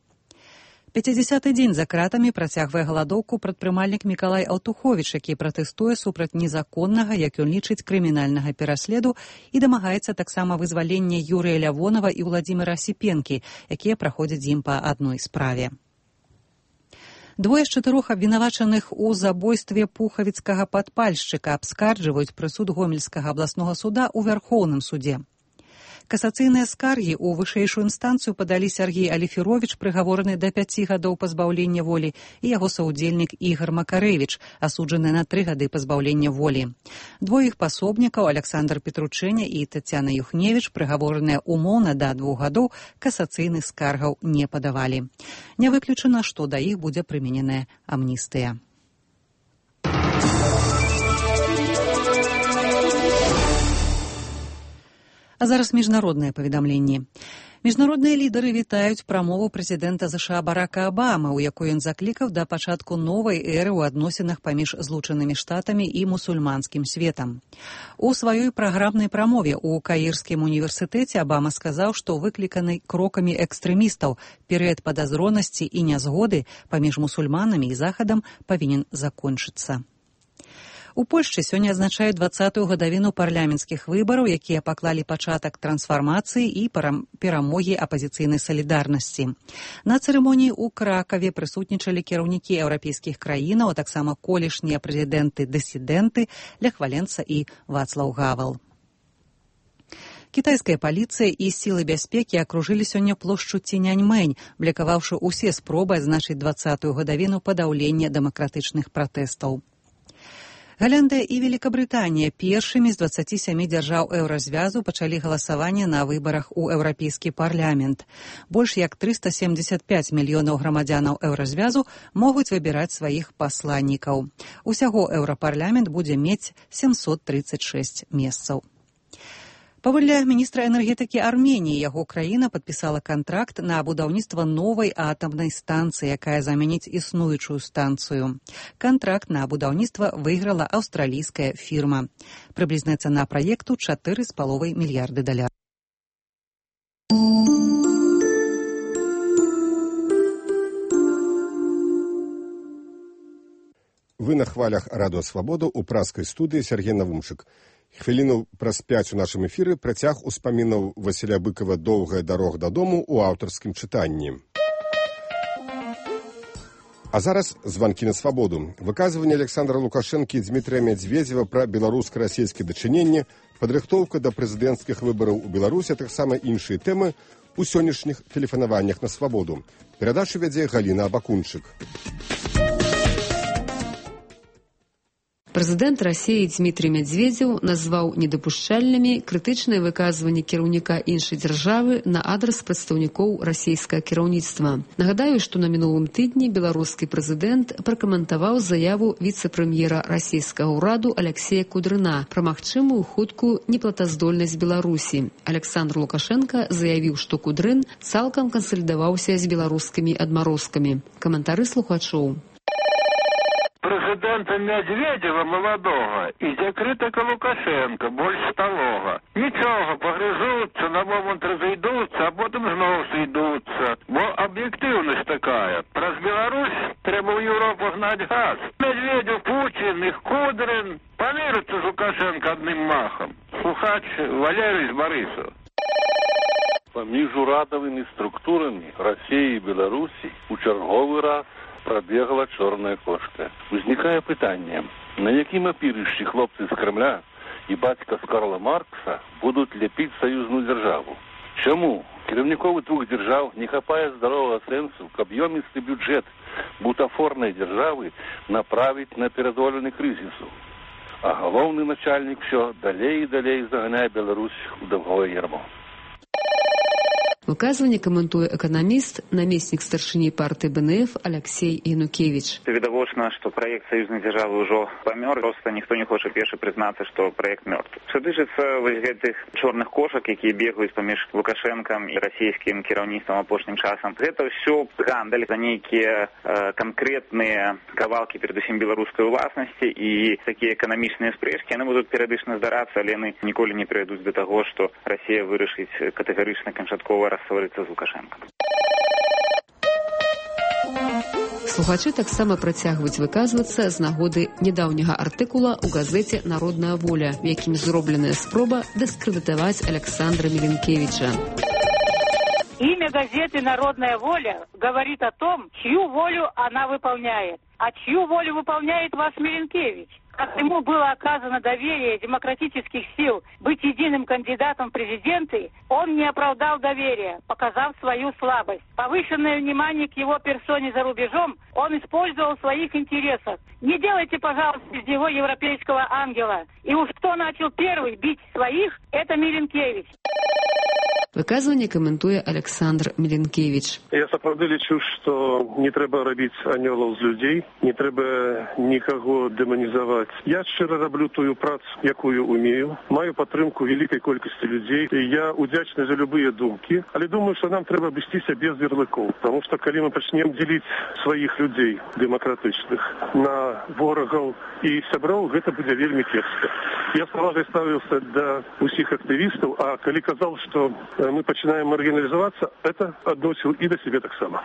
пяцідзясяты дзень за кратамі працягвае галадоўку прадпрымальнік Мікалай Аўтуховіч, які пратэстуе супраць незаконнага, як ён лічыць, крымінальнага пераследу і дамагаецца таксама вызвалення Юрыя Лявонава і Уладзіміра Асіпенкі, якія праходзяць з ім па адной справе. Двое з чатырох абвінавачаных у забойстве пухавіцкага падпальшчыка абскарджваюць прысуд Гомельскага абласнога суда ў Вярхоўным судзе. Касацыйныя скаргі ў вышэйшую інстанцыю падалі Сергей Аліферовіч, прыгавораны да пяці гадоў пазбаўлення волі, і яго саўдзельнік Ігар Макарэвіч, асуджаны на тры гады пазбаўлення волі. Двое іх пасобнікаў, Александр Петручэня і Тацяна Юхневіч, прыгавораныя умоўна да двух гадоў, касацыйных скаргаў не падавалі. Не выключана, што да іх будзе прымененая амністыя. А зараз міжнародныя паведамленні. Міжнародныя лідары вітаюць прамову прэзідэнта ЗША Барака Абамы, у якой ён заклікаў да пачатку новай эры ў адносінах паміж Злучанымі Штатамі і мусульманскім светам. У сваёй праграмнай прамове ў Каірскім універсітэце Абама сказаў, што выкліканы крокамі экстрэмістаў перыяд падазронасці і нязгоды паміж мусульманамі і Захадам павінен закончыцца. У Польшчы сёння адзначаюць дваццатую гадавіну парламенцкіх выбараў, якія паклалі пачатак трансфармацыі і перамогі апазіцыйнай салідарнасці. На цырымоніі ў Кракаве прысутнічалі кіраўнікі еўрапейскіх краінаў, а таксама колішнія прэзідэнты-дысідэнты Лех Валенца і Вацлаў Гавел. Кітайская паліцыя і сілы бяспекі акружылі сёння плошчу Ціняньмэнь, блакаваўшы ўсе спробы адзначыць дваццатую гадавіну падаўлення дэмакратычных пратэстаў. Галландыя і Великабрытанія першымі з дваццаці сямі дзяржаў еўразвязу пачалі галасаванне на выбарах у Еўрапейскі парламент. Больш як трыста семдзесят пяць мільёнаў грамадзянаў еўразвязу могуць выбіраць сваіх пасланнікаў. Усяго еўрапарламент будзе мець сямсот трыццаць шэсць месцаў. Паводле міністра энергетыкі Арменіі, яго краіна падпісала кантракт на будаўніцтва новай атамнай станцыі, якая заменіць існуючую станцыю. Кантракт на будаўніцтва выйграла аўстралійская фірма. Прыблізная цана праекту чатыры з паловай мільярды даляраў. Вы на хвалях Радыё Свабода ў праскай студыі Сергей Навумчык. Хвіліну праз пяць у нашым эфіры працяг успамінаў Васіля Быкова «Доўгая дарога дадому» у аўтарскім чытанні. А зараз званкі на свабоду. Выказванне Александра Лукашэнкі і Дмітрия Медведзева пра беларуска-расійскія дачыненні, падрыхтоўка да прэзідэнцкіх выбараў у Беларусі, а таксама іншыя тэмы у сённяшніх тэлефанаваннях на свабоду. Перадачу вядзе Галіна Абакунчык. Прэзідэнт Расіі Дмітрий Медведзеў назваў недапушчальнымі крытычныя выказванні кіраўніка іншай дзяржавы на адрас прадстаўнікоў расійскага кіраўніцтва. Нагадаю, што на мінулым тыдні беларускі прэзідэнт пракаментаваў заяву віцэ-прэм'ера расійскага ўраду Алексея Кудрына пра магчымую хуткую неплатаздольнасць Беларусі. Александр Лукашенко заявіў, што Кудрын цалкам кансалідаваўся з беларускімі адмарозкамі. Каментары слухачоў. Президента Медведева молодого и закрытого Лукашенко больше сталого. Ничего, погрызутся, на момент разойдутся, а потом снова сойдутся. Бо объективность такая. Про Беларусь треба в Европу гнать газ. Медведев, Путин, их Кудрин помирятся с Лукашенко одним махом. Слухач Валерий из Борисова. Паміж урадавымі структурамі Расіі і Беларусі у чарговы раз пробегла чорная кошка. Узнікае пытанне, на якім апірышчы хлопцы з Кремля і бацька з Карла Маркса будуць ляпіць саюзную дзяржаву? Чаму кіраўнікоў двух дзяржаў не хапае здаровага сэнсу, каб ёмісты бюджэт бутафорнай дзяржавы направіць на перазволены крызісу? А галоўны начальнік всё далей і далей заганяе Беларусь у даўгое ярмо. Выказванне каментуе эканаміст, намеснік старшыні партыі Бэ Эн Эф Алексей Янукевич. Відавочна, што праект саюзнай дзяржавы ўжо памёр, проста ніхто не хоча першы прызнацца, што праект мёртв. Што дычыцца вось гэтых чорных кошак, якія бегаюць паміж Лукашэнкам і расійскім кіраўніцтвам апошнім часам, гэта ўсё гандаль за нейкія э, канкрэтныя кавалкі, перадусім беларускай уласнасці, і такія эканамічныя спрэчкі, яны будуць перыядычна здарацца, але яны ніколі не прывядуць да таго, што Расія вырашыць катэгарычна канчаткова рассварыцца з Лукашэнкам. Слухачы таксама працягваюць выказвацца з нагоды нядаўняга артыкула ў газеце «Народная воля», в якім зробленая спроба дыскрэдытаваць Александра Миленкевича. Имя газеты «Народная воля» говорит о том, чью волю она выполняет. А чью волю выполняет вас Миленкевич? Как ему было оказано доверие демократических сил быть единым кандидатом в президенты, он не оправдал доверия, показав свою слабость. Повышенное внимание к его персоне за рубежом он использовал в своих интересах. Не делайте, пожалуйста, из него европейского ангела. И уж кто начал первый бить своих, это Миленкевич. Выказванне каментуе Александр Миленкевич. Я сапраўды лічу, што не трэба рабіць анёлаў з людзей, не трэба нікаго дэманізаваць. Я шчыра раблю тую працу, якую умею, маю падтрымку вялікай колькасці людзей, і я удзячны за любыя думкі, але думаю, што нам трэба абысціся без ярлыкоў, таму што калі мы пачнем дзеліць сваіх людзей дэмакратычных на ворагаў і сяброў, гэта будзе вельмі кепска. Я з павагай ставіўся да ўсіх актывістаў, а калі казаў, што мы пачинаем маргинализоваться, это относил и до себя так само.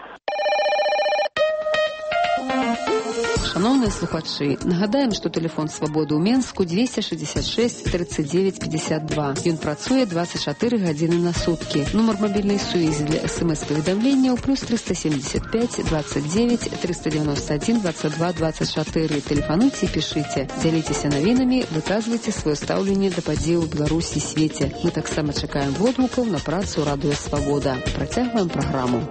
Шановныя слухачы, нагадаем, што тэлефон свабоды ў Менску двести шестьдесят шесть тридцать девять пятьдесят два. Ён працуе двадцать четыре гадзіны на суткі. Нумар мабільнай сувязі для смс-паведамленняў плюс триста семьдесят пять двадцать девять триста девяносто один двадцать два двадцать четыре. Тэлефануйце і пішыце. Дзяліцеся навінамі, выказвайце сваё стаўленне да падзеяў у Беларусі і свеце. Мы таксама чакаем водгукаў на працу Радыё Свабода. Працягваем праграму.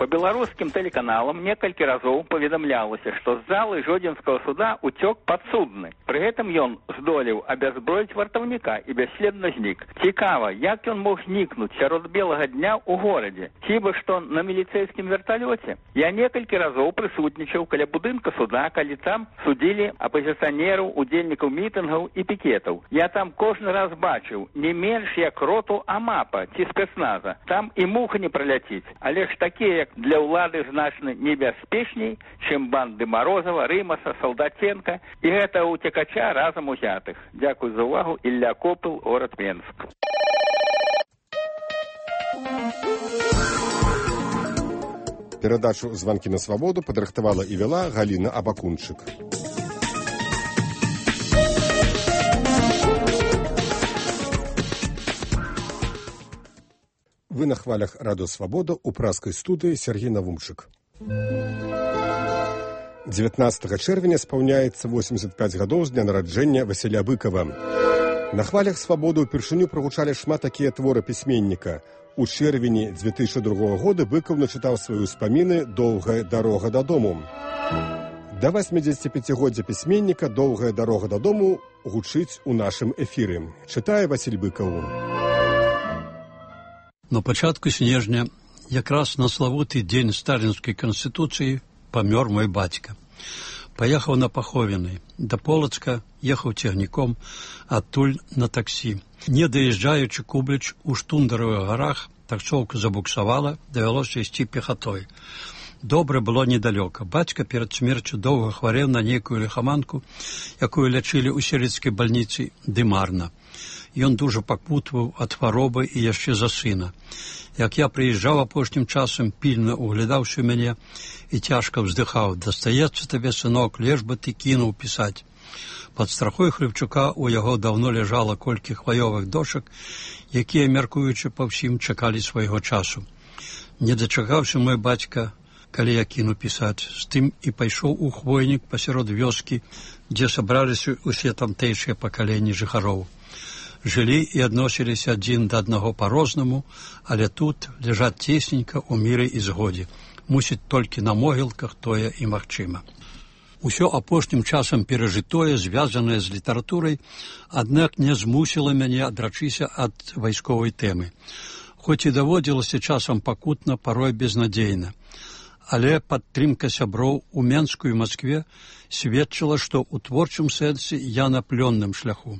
По белорусским телеканалам некалькі разоў паведамлялася, што з залы Жодзінскага суда уцёк падсудны. Пры гэтым ён здолеў абязброіць вартаўніка і бясследна знік. Цікава, як ён мог знікнуць сярод белага дня ў горадзе? Хіба што на міліцэйскім верталёце? Я некалькі разоў прысутнічаў каля будынка суда, калі там судзілі апазіцыянераў, удзельнікаў мітынгаў і пікетаў. Я там кожны раз бачыў не менш як роту АМАПа ці спецназа. Там і муха не праляціць, але ж такія, як для ўлады значна небяспечней, чым банды Морозова, Рымаса, Салдатенка і гэта ўцекача разам узятых. Дзякуй за ўвагу. Ілля Копыл, горад Менск. Перадачу «Званкі на свабоду» падрыхтавала і вяла Галіна Абакунчык. Вы на хвалях радыё «Свабода», у праскай студыі Сергей Навумчык. дзевятнаццатага чэрвеня спаўняецца восемьдесят пять гадоў з дня нараджэння Васіля Быкава. На хвалях «Свабоды» ўпершыню прагучалі шмат такія творы пісьменніка. У чэрвені две тысячи другога года Быкаў начытаў свае ўспаміны «Доўгая дарога дадому». Да восьмидзесятипяцігоддзя пісьменніка «Доўгая дарога дадому» гучыць у нашым эфіры. Чытае Васіль Быкаў. На пачатку снежня, якраз на славуты дзень сталінскай канстытуцыі, памёр мой бацька. Паехаў на паховіны. Да Полацка ехаў цягніком, адтуль на таксі. Не даязджаючы Кубліч у Штундаровых гарах, таксоўка забуксавала, давялося ісці пехатой. Добра было недалёка. Бацька перад смерцю доўга хварэў на нейкую лихаманку, якую лячылі ў селецкай бальніцы, ды марна. Ён дужа пакутваў ад хваробы і яшчэ за сына. Як я прыязджаў апошнім часам, пільна углядаўся ў мяне і цяжка ўздыхаў. Дастаецца табе, сынок, леш бы ты кінуў пісаць. Пад страхой Хлебчука у яго даўно ляжала колькі хваёвых дошак, якія, мяркуючы па ўсім, чакалі свайго часу. Не дачакаўся мой бацька, калі я кіну пісаць. З тым і пайшоў у хвойнік пасярод вёскі, дзе сабраліся ўсе тамтэйшыя пакаленні жыхароў. Жылі і адносіліся адзін да аднаго па-рознаму, але тут ляжаць цесненька ў міры і згодзе. Мусіць, толькі на могілках тое і магчыма. Усё апошнім часам перажытое, звязанае з літаратурай, аднак не змусіла мяне адрачыся ад вайсковай тэмы. Хоць і даводзілася часам пакутна, парой безнадзейна. Але падтрымка сяброў у Менску і Маскве сведчыла, што ў творчым сэнсе я на плённым шляху.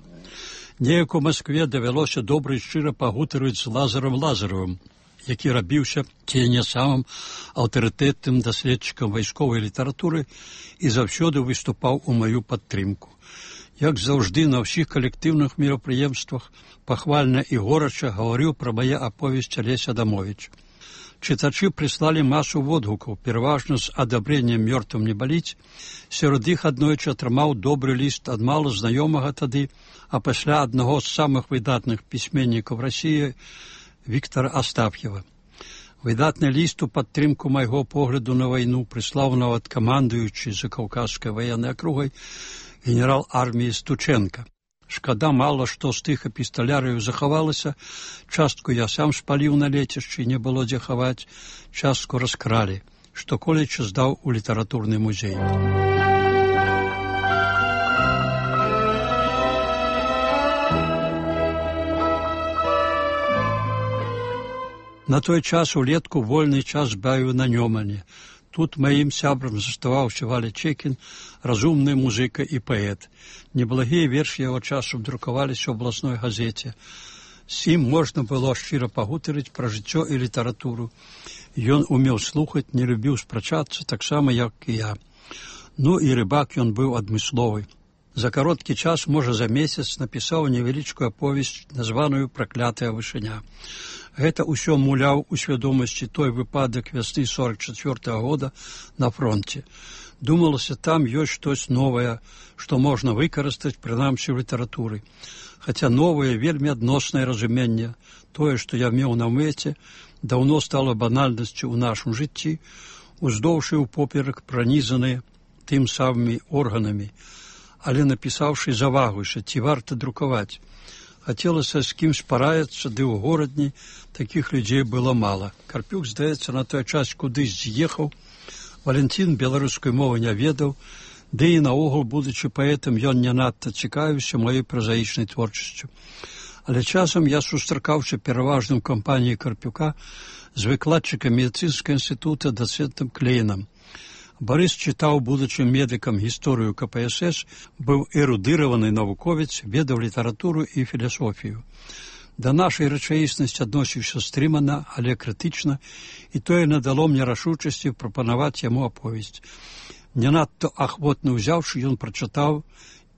Неяк у Маскве давялося добра і шчыра пагутарыць з Лазарам Лазаровым, які рабіўся ці не самым аўтарытэтным даследчыкам вайсковай літаратуры і заўсёды выступаў у маю падтрымку. Як заўжды на ўсіх калектыўных мерапрыемствах пахвальна і горача гаварыў пра мае аповесць Алесь Адамовіч. Чытачы прыслалі масу водгукаў, пераважна з адабрэннем «Мёртвым не баліць». Сярод іх аднойчы атрымаў добры ліст ад мала знаёмага тады, а пасля аднаго з самых выдатных пісьменнікаў Расіі Віктара Астаф'ева. Выдатны ліст у падтрымку майго погляду на вайну прыслаў нават камандуючы Закаўказскай ваеннай акругай генерал арміі Стученка. Шкада, мала што з тых эпісталярыяў захавалася, частку я сам спаліў на лецішчы, не было дзе хаваць, частку раскралі, што колечы здаў у літаратурны музей. На той час улетку вольны час бавіў на Нёмане. Тут маім сябрам заставаўся Валя Чекін, разумны музыка і паэт. Неблагія вершы яго часу друкаваліся ў абласной газеце. З ім можна было шчыра пагутарыць пра жыццё і літаратуру. Ён умеў слухаць, не любіў спрачацца, таксама, як і я. Ну і рыбак ён быў адмысловы. За кароткі час, можа за месяц, напісаў невялічкую аповесць, названую «Праклятая вышыня». Гэта ўсё муляў у свядомасці той выпадак вясны сорок чацвёртага года на фронте. Думалася, там ёсць штось новае, што можна выкарыстаць, прынамсі ў літаратуры. Хаця новае, вельмі адноснае разуменне, тое, што я меў на мэце, даўно стала банальнасцю ў нашым жыцці, уздоўж і ўпоперак пранізаныя тым самымі органамі, але напісаўшы завагуйся, ці варта друкаваць. Хацелася з кім спараецца, ды ў горадні такіх людзей было мала. Карпюк, здаецца, на той час кудысь з'ехаў, Валентин беларускай мовы не ведаў, ды і наогул, будучы паэтам, ён не надта цікавіўся маёй празаічнай творчасцю. Але часам я сустракаўся пераважным кампаніяй Карпюка з выкладчыкам медыцынскага інстытута дацэнтам Клейнам. Барыс чытаў будучым медыкам гісторыю ка пэ эс эс, быў эрудыраваны навуковец, ведаў літаратуру і філасофію. Да нашай рэчаіснасці адносіўся стрымана, але крытычна, і тое надало мне рашучасці прапанаваць яму аповесць. Не надта ахвотна ўзяўшы, ён прачытаў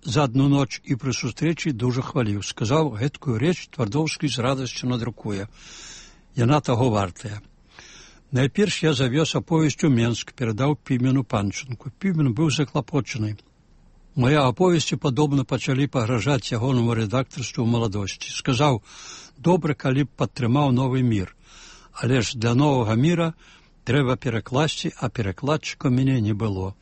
за адну ноч і пры сустрэчы дужа хваліў. Сказаў, гэткую рэч Твардоўскі з радасцю надрукуе. Яна таго вартая. Найперш я завёз аповесць у Менск, перадаў Пімену Панчынку. Пімен быў заклапочаны. Мае аповесці падобна пачалі пагражаць ягонаму рэдактарству ў маладосці. Сказаў: добра, калі б падтрымаў новы мір, але ж для новага міра трэба перакласці, а перакладчыка мяне не было.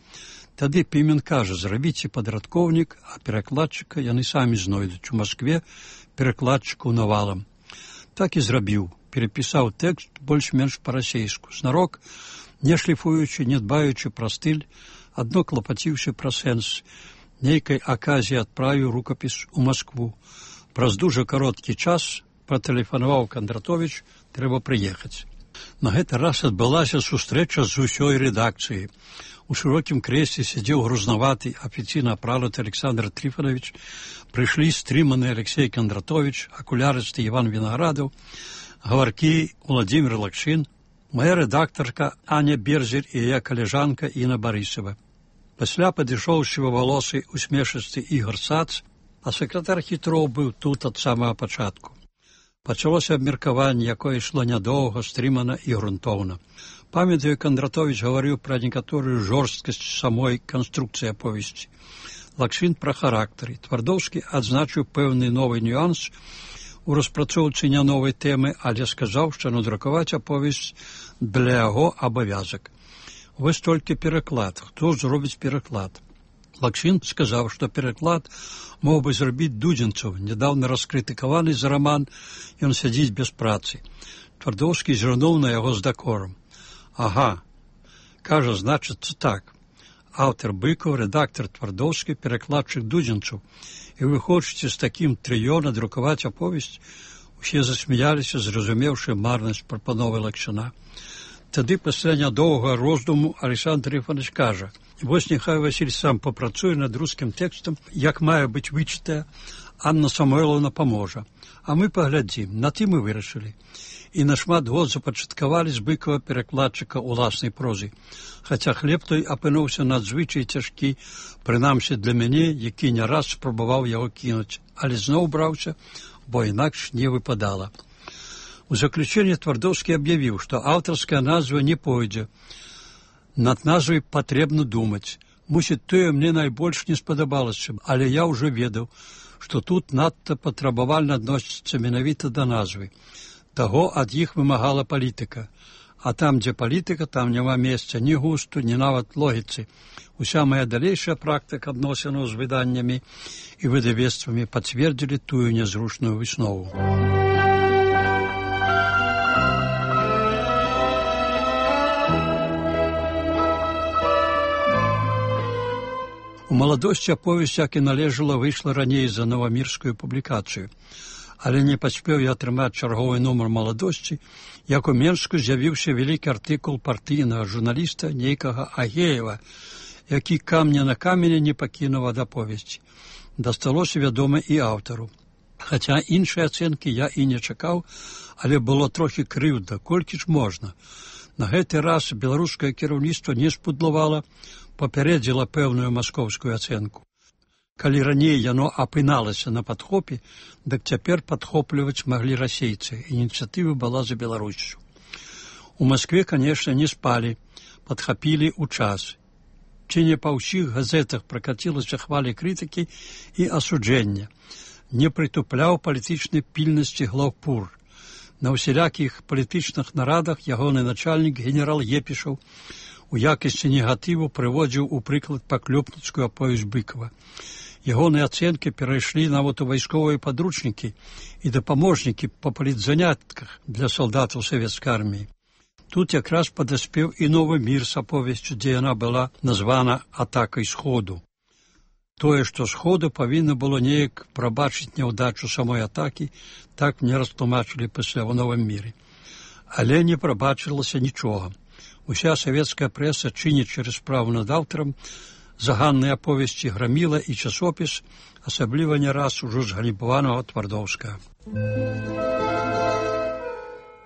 Тады Пімен кажа: зрабіце падрадкоўнік, а перакладчыка яны самі знойдуць у Маскве, перакладчыкаў навалам. Так і зрабіў. Перепісаў тэкст больш-менш па-расейску, знарок, не шліфуючы, не дбаючы пра стыль, адно клапаціўся пра сэнс. Нейкай аказіі адправіў рукапіс у Маскву. Праз дужа кароткі час патэлефанаваў Кандратовіч: трэба прыехаць. На гэты раз адбылася сустрэча з усёй рэдакцыяй. У шырокім крэсле сядзеў грузнаваты, афіцыйна апрануты Александр Трифонович, прыйшлі стрыманы Алексей Кандратович, акулярысты Іван Вінаградаў, гаваркі Владимир Лакшин, моя рэдактарка Аня Берзер і яе калежанка Інна Барысова. Пасля падышоў сівавалосы усмешысты Ігор Сац, а сакратар Хітроў быў тут ад самага пачатку. Пачалося абмеркаванне, якое ішло нядоўга, стрымана і грунтоўна. Памятаю, Кандратович гаварыў пра некаторую жорсткасць самой канструкцыі аповесці. Лакшин пра характары. Твардоўскі адзначыў пэўны новы нюанс у распрацоўцы не новай тэмы, але сказаў, што надрукаваць аповесць для яго абавязак. Вось толькі пераклад. Хто зробіць пераклад? Лакшин сказаў, што пераклад мог бы зрабіць Дудзенцаў, нядаўна раскрытыкаваны за раман «Ён сядзіць без працы». Твардоўскі зірнуў на яго з дакорам. Ага, кажа, значыцца так. Аўтар Быкаў, рэдактар Твардоўскі, перакладчык Дудзенцаў. І вы хочаце з такім трыё надрукаваць аповесць? Усе засмяяліся, зразумеўшы марнасць прапановы Лакшына. Тады пасля нядоўга роздуму Александр Трифонович кажа: вось няхай Васіль сам папрацуе над рускім тэкстам, як мае быць вычытая, Анна Самойловна паможа. А мы паглядзім, на тым і вырашылі. І на шмат год запачаткавалі з Быкава перакладчыка ўласнай прозы. Хаця хлеб той апынуўся надзвычай цяжкі, прынамсі для мяне, які не раз спрабаваў яго кінуць, але зноў браўся, бо інакш не выпадала. У заключэнне Твардоўскі аб'явіў, што аўтарская назва не пойдзе. Над назвай патрэбна думаць. Мусіць, тое мне найбольш не спадабалася, але я ўжо ведаў, што тут надта патрабавальна адносіцца менавіта да назвы. Таго ад іх вымагала палітыка. А там, дзе палітыка, там няма месца ні густу, ні нават логіцы. Уся моя далейшая практыка адносінаў з выданнямі і выдавецтвамі пацвердзілі тую нязручную выснову. У маладосці аповесць, як і належала, выйшла раней за новамірскую публікацыю. Але не паспеў я атрымаць чарговы нумар маладосці, як у Менску з'явіўся вялікі артыкул партыйнага журналіста нейкага Агеева, які камня на камене не пакінуў ад аповесці. Дасталося, вядома, і аўтару. Хаця іншай ацэнкі я і не чакаў, але было трохі крыўда, колькі ж можна. На гэты раз беларускае кіраўніцтва не спудлавала, папярэдзіла пэўную маскоўскую ацэнку. Калі раней яно апыналася на падхопе, дык цяпер падхопліваць маглі расейцы. Ініцыятыва была за Беларусю. У Маскве, канешне, не спалі, падхапілі ў час. Ці не па ўсіх газетах пракацілася хвалі крытыкі і асуджэння. Не прытупляў палітычнай пільнасці глаўпур. На ўсялякіх палітычных нарадах ягоны начальнік генерал Епішаў у якасці негатыву прыводзіў у прыклад паклёпніцкую аповесць Быкава. Ягоныя ацэнкі перайшлі нават у вайсковыя падручнікі і дапаможнікі па палітзанятках для салдатаў савецкай арміі. Тут якраз падаспеў і новы мір з аповесцю, дзе яна была названа атакай сходу. Тое, што сходу павінна было неяк прабачыць няўдачу самой атакі, так мне растлумачылі пасля ў новым міры. Але не прабачылася нічога. Уся савецкая прэса чыніць через справу над аўтарам, заганныя аповесці граміла і часопіс, асабліва не раз ужо згалібаванага Твардоўскага.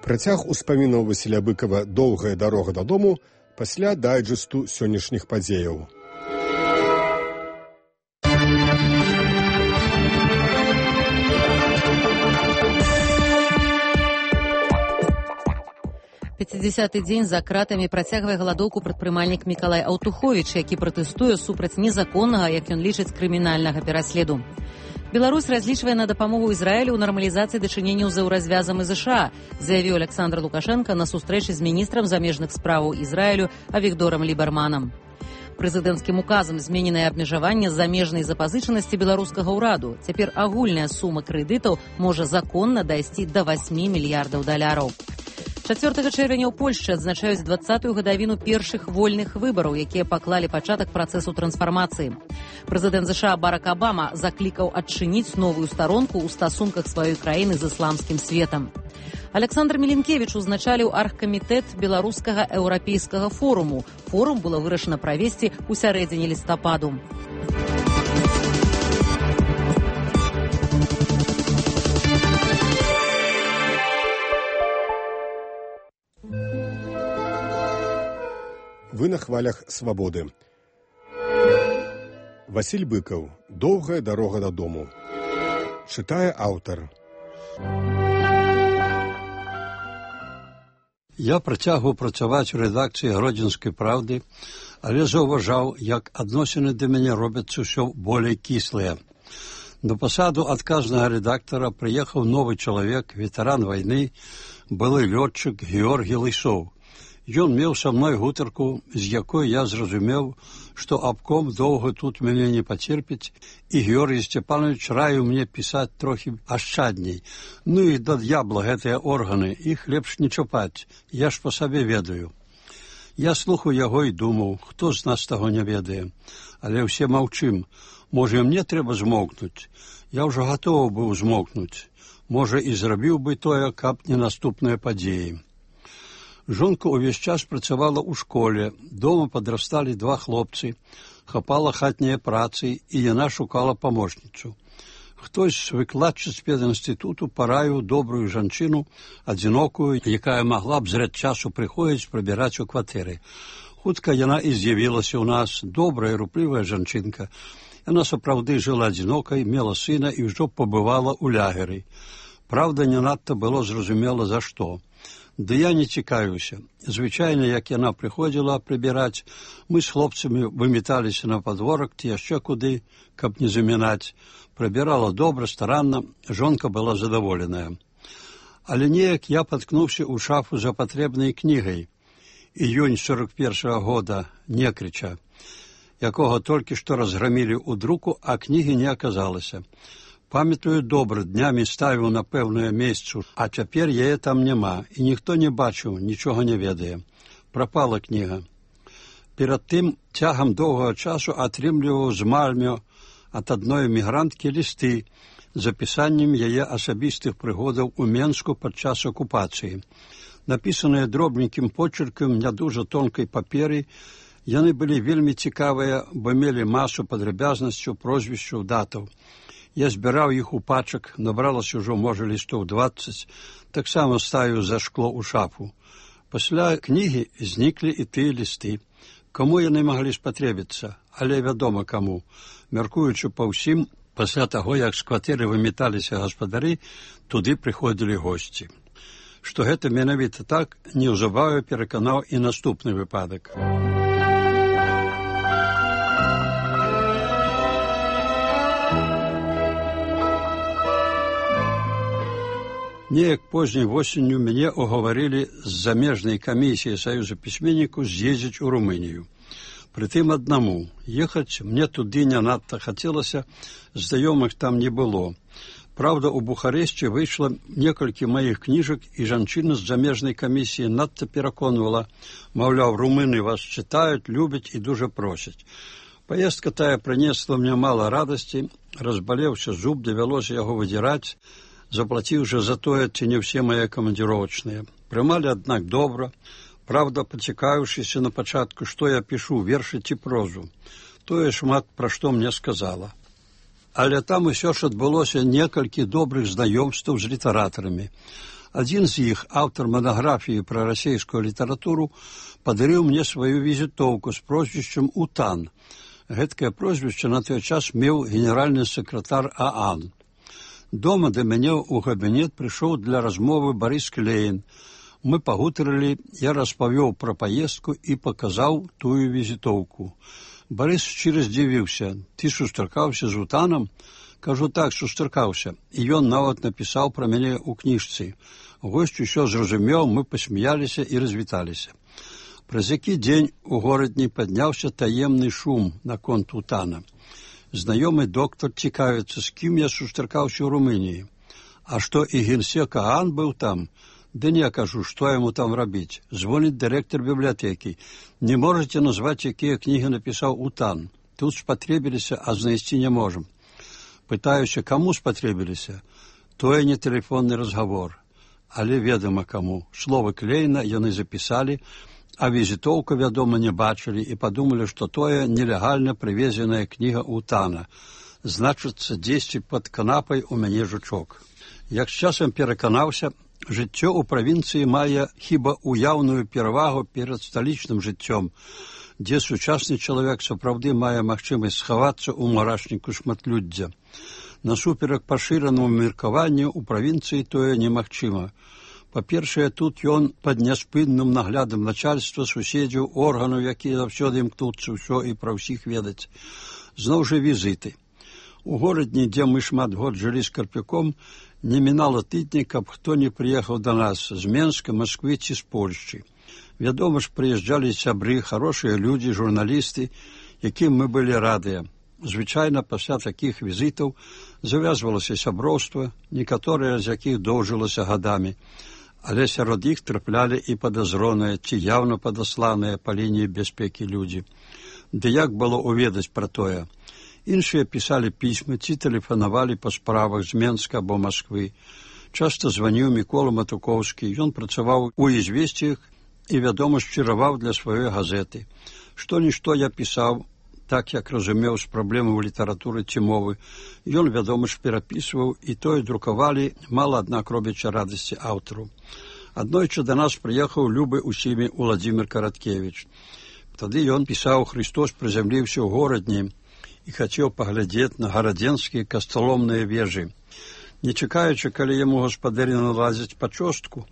Працяг успамінаў Васіля Быкава «Доўгая дарога дадому» пасля дайджэсту сённяшніх падзеяў. пяцідзясяты дзень за кратамі працягвае галадоўку прадпрымальнік Мікалай Аўтуховіч, які пратэстуе супраць незаконнага, як ён лічыць, крымінальнага пераследу. Беларусь разлічвае на дапамогу Ізраілю ў нармалізацыі дачыненняў з еўразвязам і ЗША, заявіў Александр Лукашенко на сустрэчы з міністрам замежных справаў Ізраілю Авігдорам Ліберманам. Прэзідэнцкім указам змененае абмежаванне замежнай запазычанасці беларускага ўраду. Цяпер агульная сума крэдытаў можа законна дайсці да васьмі мільярдаў даляраў. чацвёртага чэрвеня ў Польшчы адзначаюць дваццатую гадавіну першых вольных выбараў, якія паклалі пачатак працэсу трансфармацыі. Прэзідэнт ЗША Барак Абама заклікаў адчыніць новую старонку ў стасунках сваёй краіны з ісламскім светам. Александр Міленкевіч узначаліў аргкамітэт беларускага еўрапейскага форуму. Форум было вырашана правесці ў сярэдзіне лістападу. Вы на хвалях свабоды. Васіль Быкаў. Доўгая дарога дадому. Чытае аўтар. Я працягваў працаваць у рэдакцыі Гродзенскай правды, але заўважаў, як адносіны да мяне робяцца ўсё болей кіслыя. На пасаду адказнага рэдактара прыехаў новы чалавек, ветэран вайны, былы лётчык Георгій Лысоў. Ён меў са мной гутарку, з якой я зразумеў, што абком доўга тут мяне не пацерпіць, і Георгій Сцепанович раіў мне пісаць трохі ашчадней. Ну і да д'ябла гэтыя органы, іх лепш не чапаць, я ж па сабе ведаю. Я слухаў яго і думаў, хто з нас таго не ведае. Але ўсе маўчым, можа, мне трэба змоўкнуць. Я ўжо гатовы быў змоўкнуць. Можа, і зрабіў бы тое, каб не наступныя падзеі. Жонка ўвесь час працавала ў школе, дома падрасталі два хлопцы, хапала хатнія працы, і яна шукала памочніцу. Хтось з выкладчыц педінстытуту параіў добрую жанчыну, адзінокую, якая магла б зрэд часу прыходзіць прыбіраць у кватэры. Хутка яна і з'явілася ў нас, добрая, руплівая жанчынка. Яна сапраўды жыла адзінокай, мела сына і ўжо пабывала ў лягеры. Праўда, не надта было зразумела за што. Ды я не цікавіўся. Звычайна, як яна прыходзіла прыбіраць, мы з хлопцамі выміталіся на падворак ці яшчэ куды, каб не замінаць. Прыбірала добра, старанна, жонка была задаволеная. Але неяк я паткнуўся ў шафу за патрэбнай кнігай. Іюнь сорок першага года Некрыча, якога толькі што разграмілі ў друку, а кнігі не аказалася. Памятаю добра, днямі ставіў на пэўнае месцу, а цяпер яе там няма, і ніхто не бачыў, нічога не ведае. Прапала кніга. Перад тым цягам доўгага часу атрымліваў з Мальмё ад адной эмігранткі лісты з апісаннем яе асабістых прыгодаў у Менску падчас акупацыі. Напісаныя дробненькім почеркам не дужа тонкай паперы, яны былі вельмі цікавыя, бо мелі масу падрабязнасцяў, прозвішчаў, датаў. Я збіраў іх у пачак, набралася ўжо, можа, лістоў дваццаць, таксама ставіў за шкло ў шафу. Пасля кнігі зніклі і тыя лісты. Каму яны маглі спатрэбіцца, але вядома каму. Мяркуючы па ўсім, пасля таго, як з кватэры выміталіся гаспадары, туды прыходзілі госці. Што гэта менавіта так, неўзабаве пераканаў і наступны выпадак. Неяк позняй восенню мяне угаварылі з замежнай камісіі Саюза пісьменнікаў з'ездзіць у Румынію. Прытым аднаму. Ехаць мне туды не надта хацелася, знаёмых там не было. Праўда, у Бухарэсце выйшла некалькі маіх кніжак, і жанчына з замежнай камісіі надта пераконвала, маўляў, румыны вас чытаюць, любяць і дужа просяць. Паездка тая прынесла мне мала радасці, разбалеўся зуб, давялося яго выдзіраць, заплаціўшы за тое, ці не ўсе мае камандзіровачныя. Прымалі, аднак, добра, праўда, пацікаўшыся на пачатку, што я пішу, вершы ці прозу. Тое шмат пра што мне сказала. Але там усё ж адбылося некалькі добрых знаёмстваў з літаратарамі. Адзін з іх, аўтар манаграфіі пра расейскую літаратуру, падарыў мне сваю візітоўку з прозвішчам Утан. Гэткае прозвішча на той час меў генеральны сакратар ААН. Дома да мяне ў кабінет прыйшоў для размовы Барыс Клейн. Мы пагутарылі, я распавёў пра паездку і паказаў тую візітоўку. Барыс шчыра здзівіўся: ты сустракаўся з Утанам? Кажу, так, сустракаўся. І ён нават напісаў пра мяне ў кніжцы. Госць усё зразумеў, мы пасмяяліся і развіталіся. Праз які дзень у горадні падняўся таемны шум наконт Утана. Знаёмы доктар цікавіцца, з кім я сустракаўся ў Румыніі. А што і генсек Аан быў там? Да не, кажу, што яму там рабіць? Звоніць дырэктар бібліятэкі. Не можаце назваць, якія кнігі напісаў Утан. Тут спатрэбіліся, а знайсці не можам. Пытаюся, каму спатрэбіліся? Тое не тэлефонны разгавор. Але ведама каму. Словы Клейна яны запісалі, а візітоўку, вядома, не бачылі і падумалі, што тое нелегальна прывезеная кніга Утана. Значыцца, дзесьці пад канапай у мяне жучок. Як з часам пераканаўся, жыццё ў правінцыі мае хіба уяўную перавагу перад сталічным жыццём, дзе сучасны чалавек сапраўды мае магчымасць схавацца ў мурашніку шматлюддзя. Насуперак пашыранаму меркаванню ў правінцыі тое немагчыма. Па-першае, тут ён пад няспынным наглядам начальства, суседзяў, органаў, якія заўсёды імкнуцца ўсё і пра ўсіх ведаць. Зноў жа візіты. У горадні, дзе мы шмат год жылі з Карпюком, не мінала тыдня, каб хто не прыехаў да нас з Менска, Масквы ці з Польшчы. Вядома ж, прыязджалі сябры, хорошыя людзі, журналісты, якім мы былі радыя. Звычайна, пасля такіх візітаў завязвалася сяброўства, некаторыя з якіх доўжылася гадамі, але сярод іх траплялі і падазроныя ці яўна падасланыя па лініі бяспекі людзі. Ды як было уведаць пра тое? Іншыя пісалі пісьмы ці тэлефанавалі па справах з Менска або Масквы. Часта званіў Мікола Матукоўскі, ён працаваў у «Ізвесціях» і, вядома, шчыраваў для сваёй газеты. Што-нішто я пісаў, так як разумеў з праблемаў літаратуры ці мовы. Ён, вядома ж, перапісваў, і тое друкавалі, мала, аднак, робячы радасці аўтару. Аднойчы да нас прыехаў любы усімі Уладзімір Караткевіч. Тады ён пісаў: «Христос прызямліўся ў горадні і хацеў паглядзець на гарадзенскія касталомныя вежы. Не чакаючы, калі яму гаспадары наладзяць пачостку,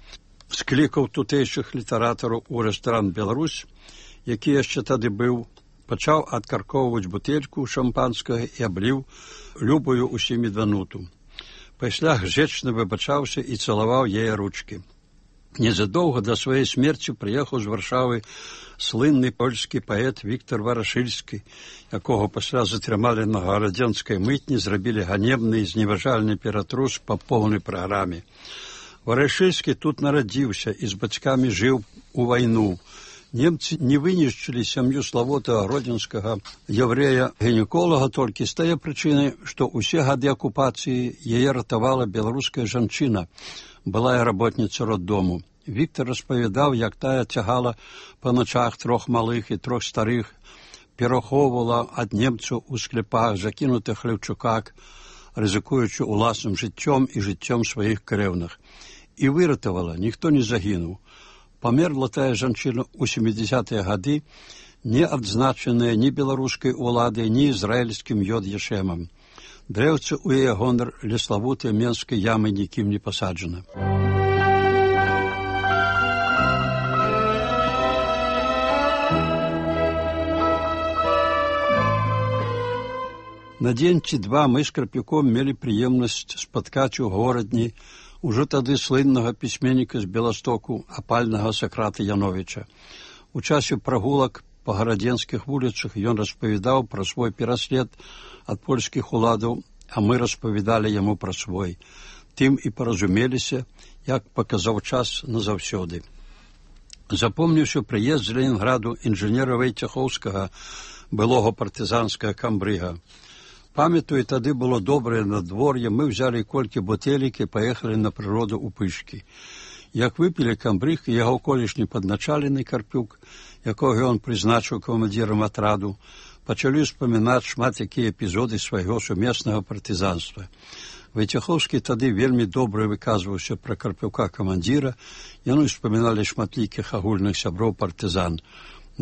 склікаў тутэйшых літаратараў у рэстаран «Беларусь», які яшчэ тады быў, пачаў адкаркоўваць бутэльку шампанскага і абліў любую усімі дануту. Пасля гжэчна выбачаўся і цалаваў яе ручкі. Незадоўга да сваёй смерці прыехаў з Варшавы слынны польскі паэт Віктор Варашыльскі, якога пасля затрымалі на гарадзенскай мытні, зрабілі ганебны і зневажальны ператрус па поўнай праграме. Варашыльскі тут нарадзіўся і з бацькамі жыў у вайну. Немцы не вынішчылі сям'ю славутага гродзенскага яўрэя-гінеколага толькі з тае прычыны, што ўсе гады акупацыі яе ратавала беларуская жанчына, былая работніца роддому. Віктор распавядаў, як тая цягала па начах трох малых і трох старых, перахоўвала ад немцаў у склепах, закінутых хлеўчуках, рызыкуючы уласным жыццём і жыццём сваіх крэўных. І выратавала, ніхто не загінуў. Памерла тая жанчына ў сямідзясятыя гады, не адзначаная ні беларускай уладай, ні ізраільскім Йод-Ешемам. Дрэўца ў яе гонар ля славутай менскай ямы нікім не пасаджана. На дзень ці два мы з Карпюком мелі прыемнасць спаткаць у горадні ужо тады слыннага пісьменніка з Беластоку, апальнага Сакрата Яновіча. У часе прагулак па гарадзенскіх вуліцах ён распавядаў пра свой пераслед ад польскіх уладаў, а мы распавядалі яму пра свой. Тым і паразумеліся, як паказаў час назаўсёды. Запомніўся прыезд з Ленінграду інжынера Вайцяхоўскага, былога партызанскага камбрыга. Памятаю, тады было добрае надвор'е, мы взялі колькі бутэлек і паехалі на прыроду ў Пышкі. Як выпілі камбрыг і яго колішні падначалены Карпюк, якога ён прызначыў камандзірам атраду, пачалі ўспамінаць шмат якія эпізоды свайго сумеснага партызанства. Вайцяхоўскі тады вельмі добра выказваўся пра Карпюка камандзіра, яны ўспаміналі шматлікіх агульных сяброў партызан.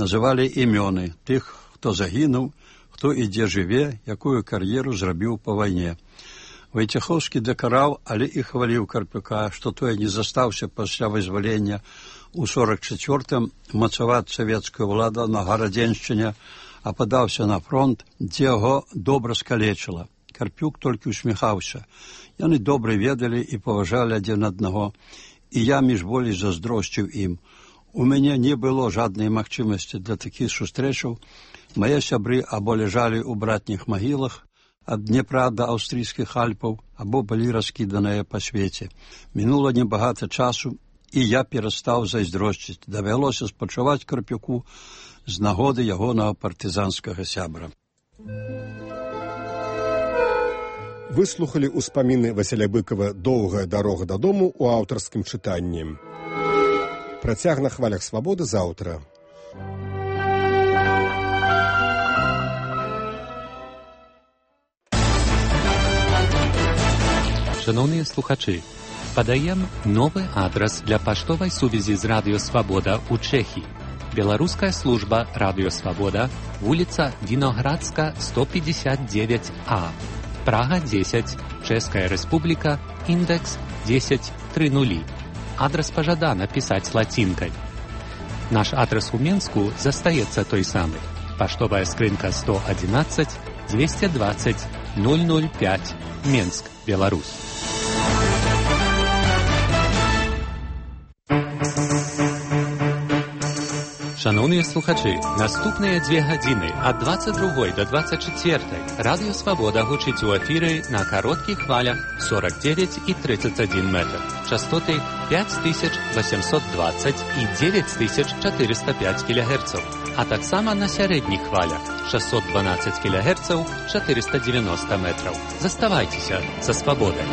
Называлі імёны тых, хто загінуў, хто і дзе жыве, якую кар'еру зрабіў па вайне. Войцеховскі дакараў, але і хваліў Карпюка, што той не застаўся пасля вызвалення у сорак чацвёртым мацаваць савецкую ўладу на Гарадзеншчыне, а падаўся на фронт, дзе яго добра скалечыла. Карпюк толькі усміхаўся. Яны добра ведалі і паважалі адзін аднаго, і я між болей заздросціў ім. У мяне не было жаднай магчымасці для такіх сустрэчаў. Мае сябры або ляжалі ў братніх магілах ад Днепра да аўстрыйскіх Альпаў, або былі раскіданыя па свеце. Мінула небагата часу, і я перастаў зайздросціць. Давялося спачуваць Карпюку з нагоды ягонага партызанскага сябра. Выслухалі ўспаміны Васіля Быкова «Доўгая дарога дадому» у аўтарскім чытанні. Працяг на хвалях свабоды заўтра. Шановні слухачі, подаем новый адрес для поштовой сувязі з Радио Свобода у Чехии. Белорусская служба Радио Свобода, улица Виноградска, сто пятьдесят девять А, Прага десять, Чешская Республика, индекс десять тридцать. Адрес пожадано писать латинкой. Наш адрес у Минску застаецца той самый. Поштовая скрынка сто одиннадцать двести двадцать ноль ноль пять, Минск, Беларусь. Шановні слухачі, наступні дві години від двадцять другої до двадцять четвертої Радіо Свобода гучить у ефірі на коротких хвалях сорок девять і тридцать один метр, частоти п'ять тисяч вісімсот двадцять і дев'ять тисяч чотириста п'ять кілогерців, а так само на середніх хвалях шістсот дванадцять кілогерців, чотириста дев'яносто метрів. Заставайтеся за свободою.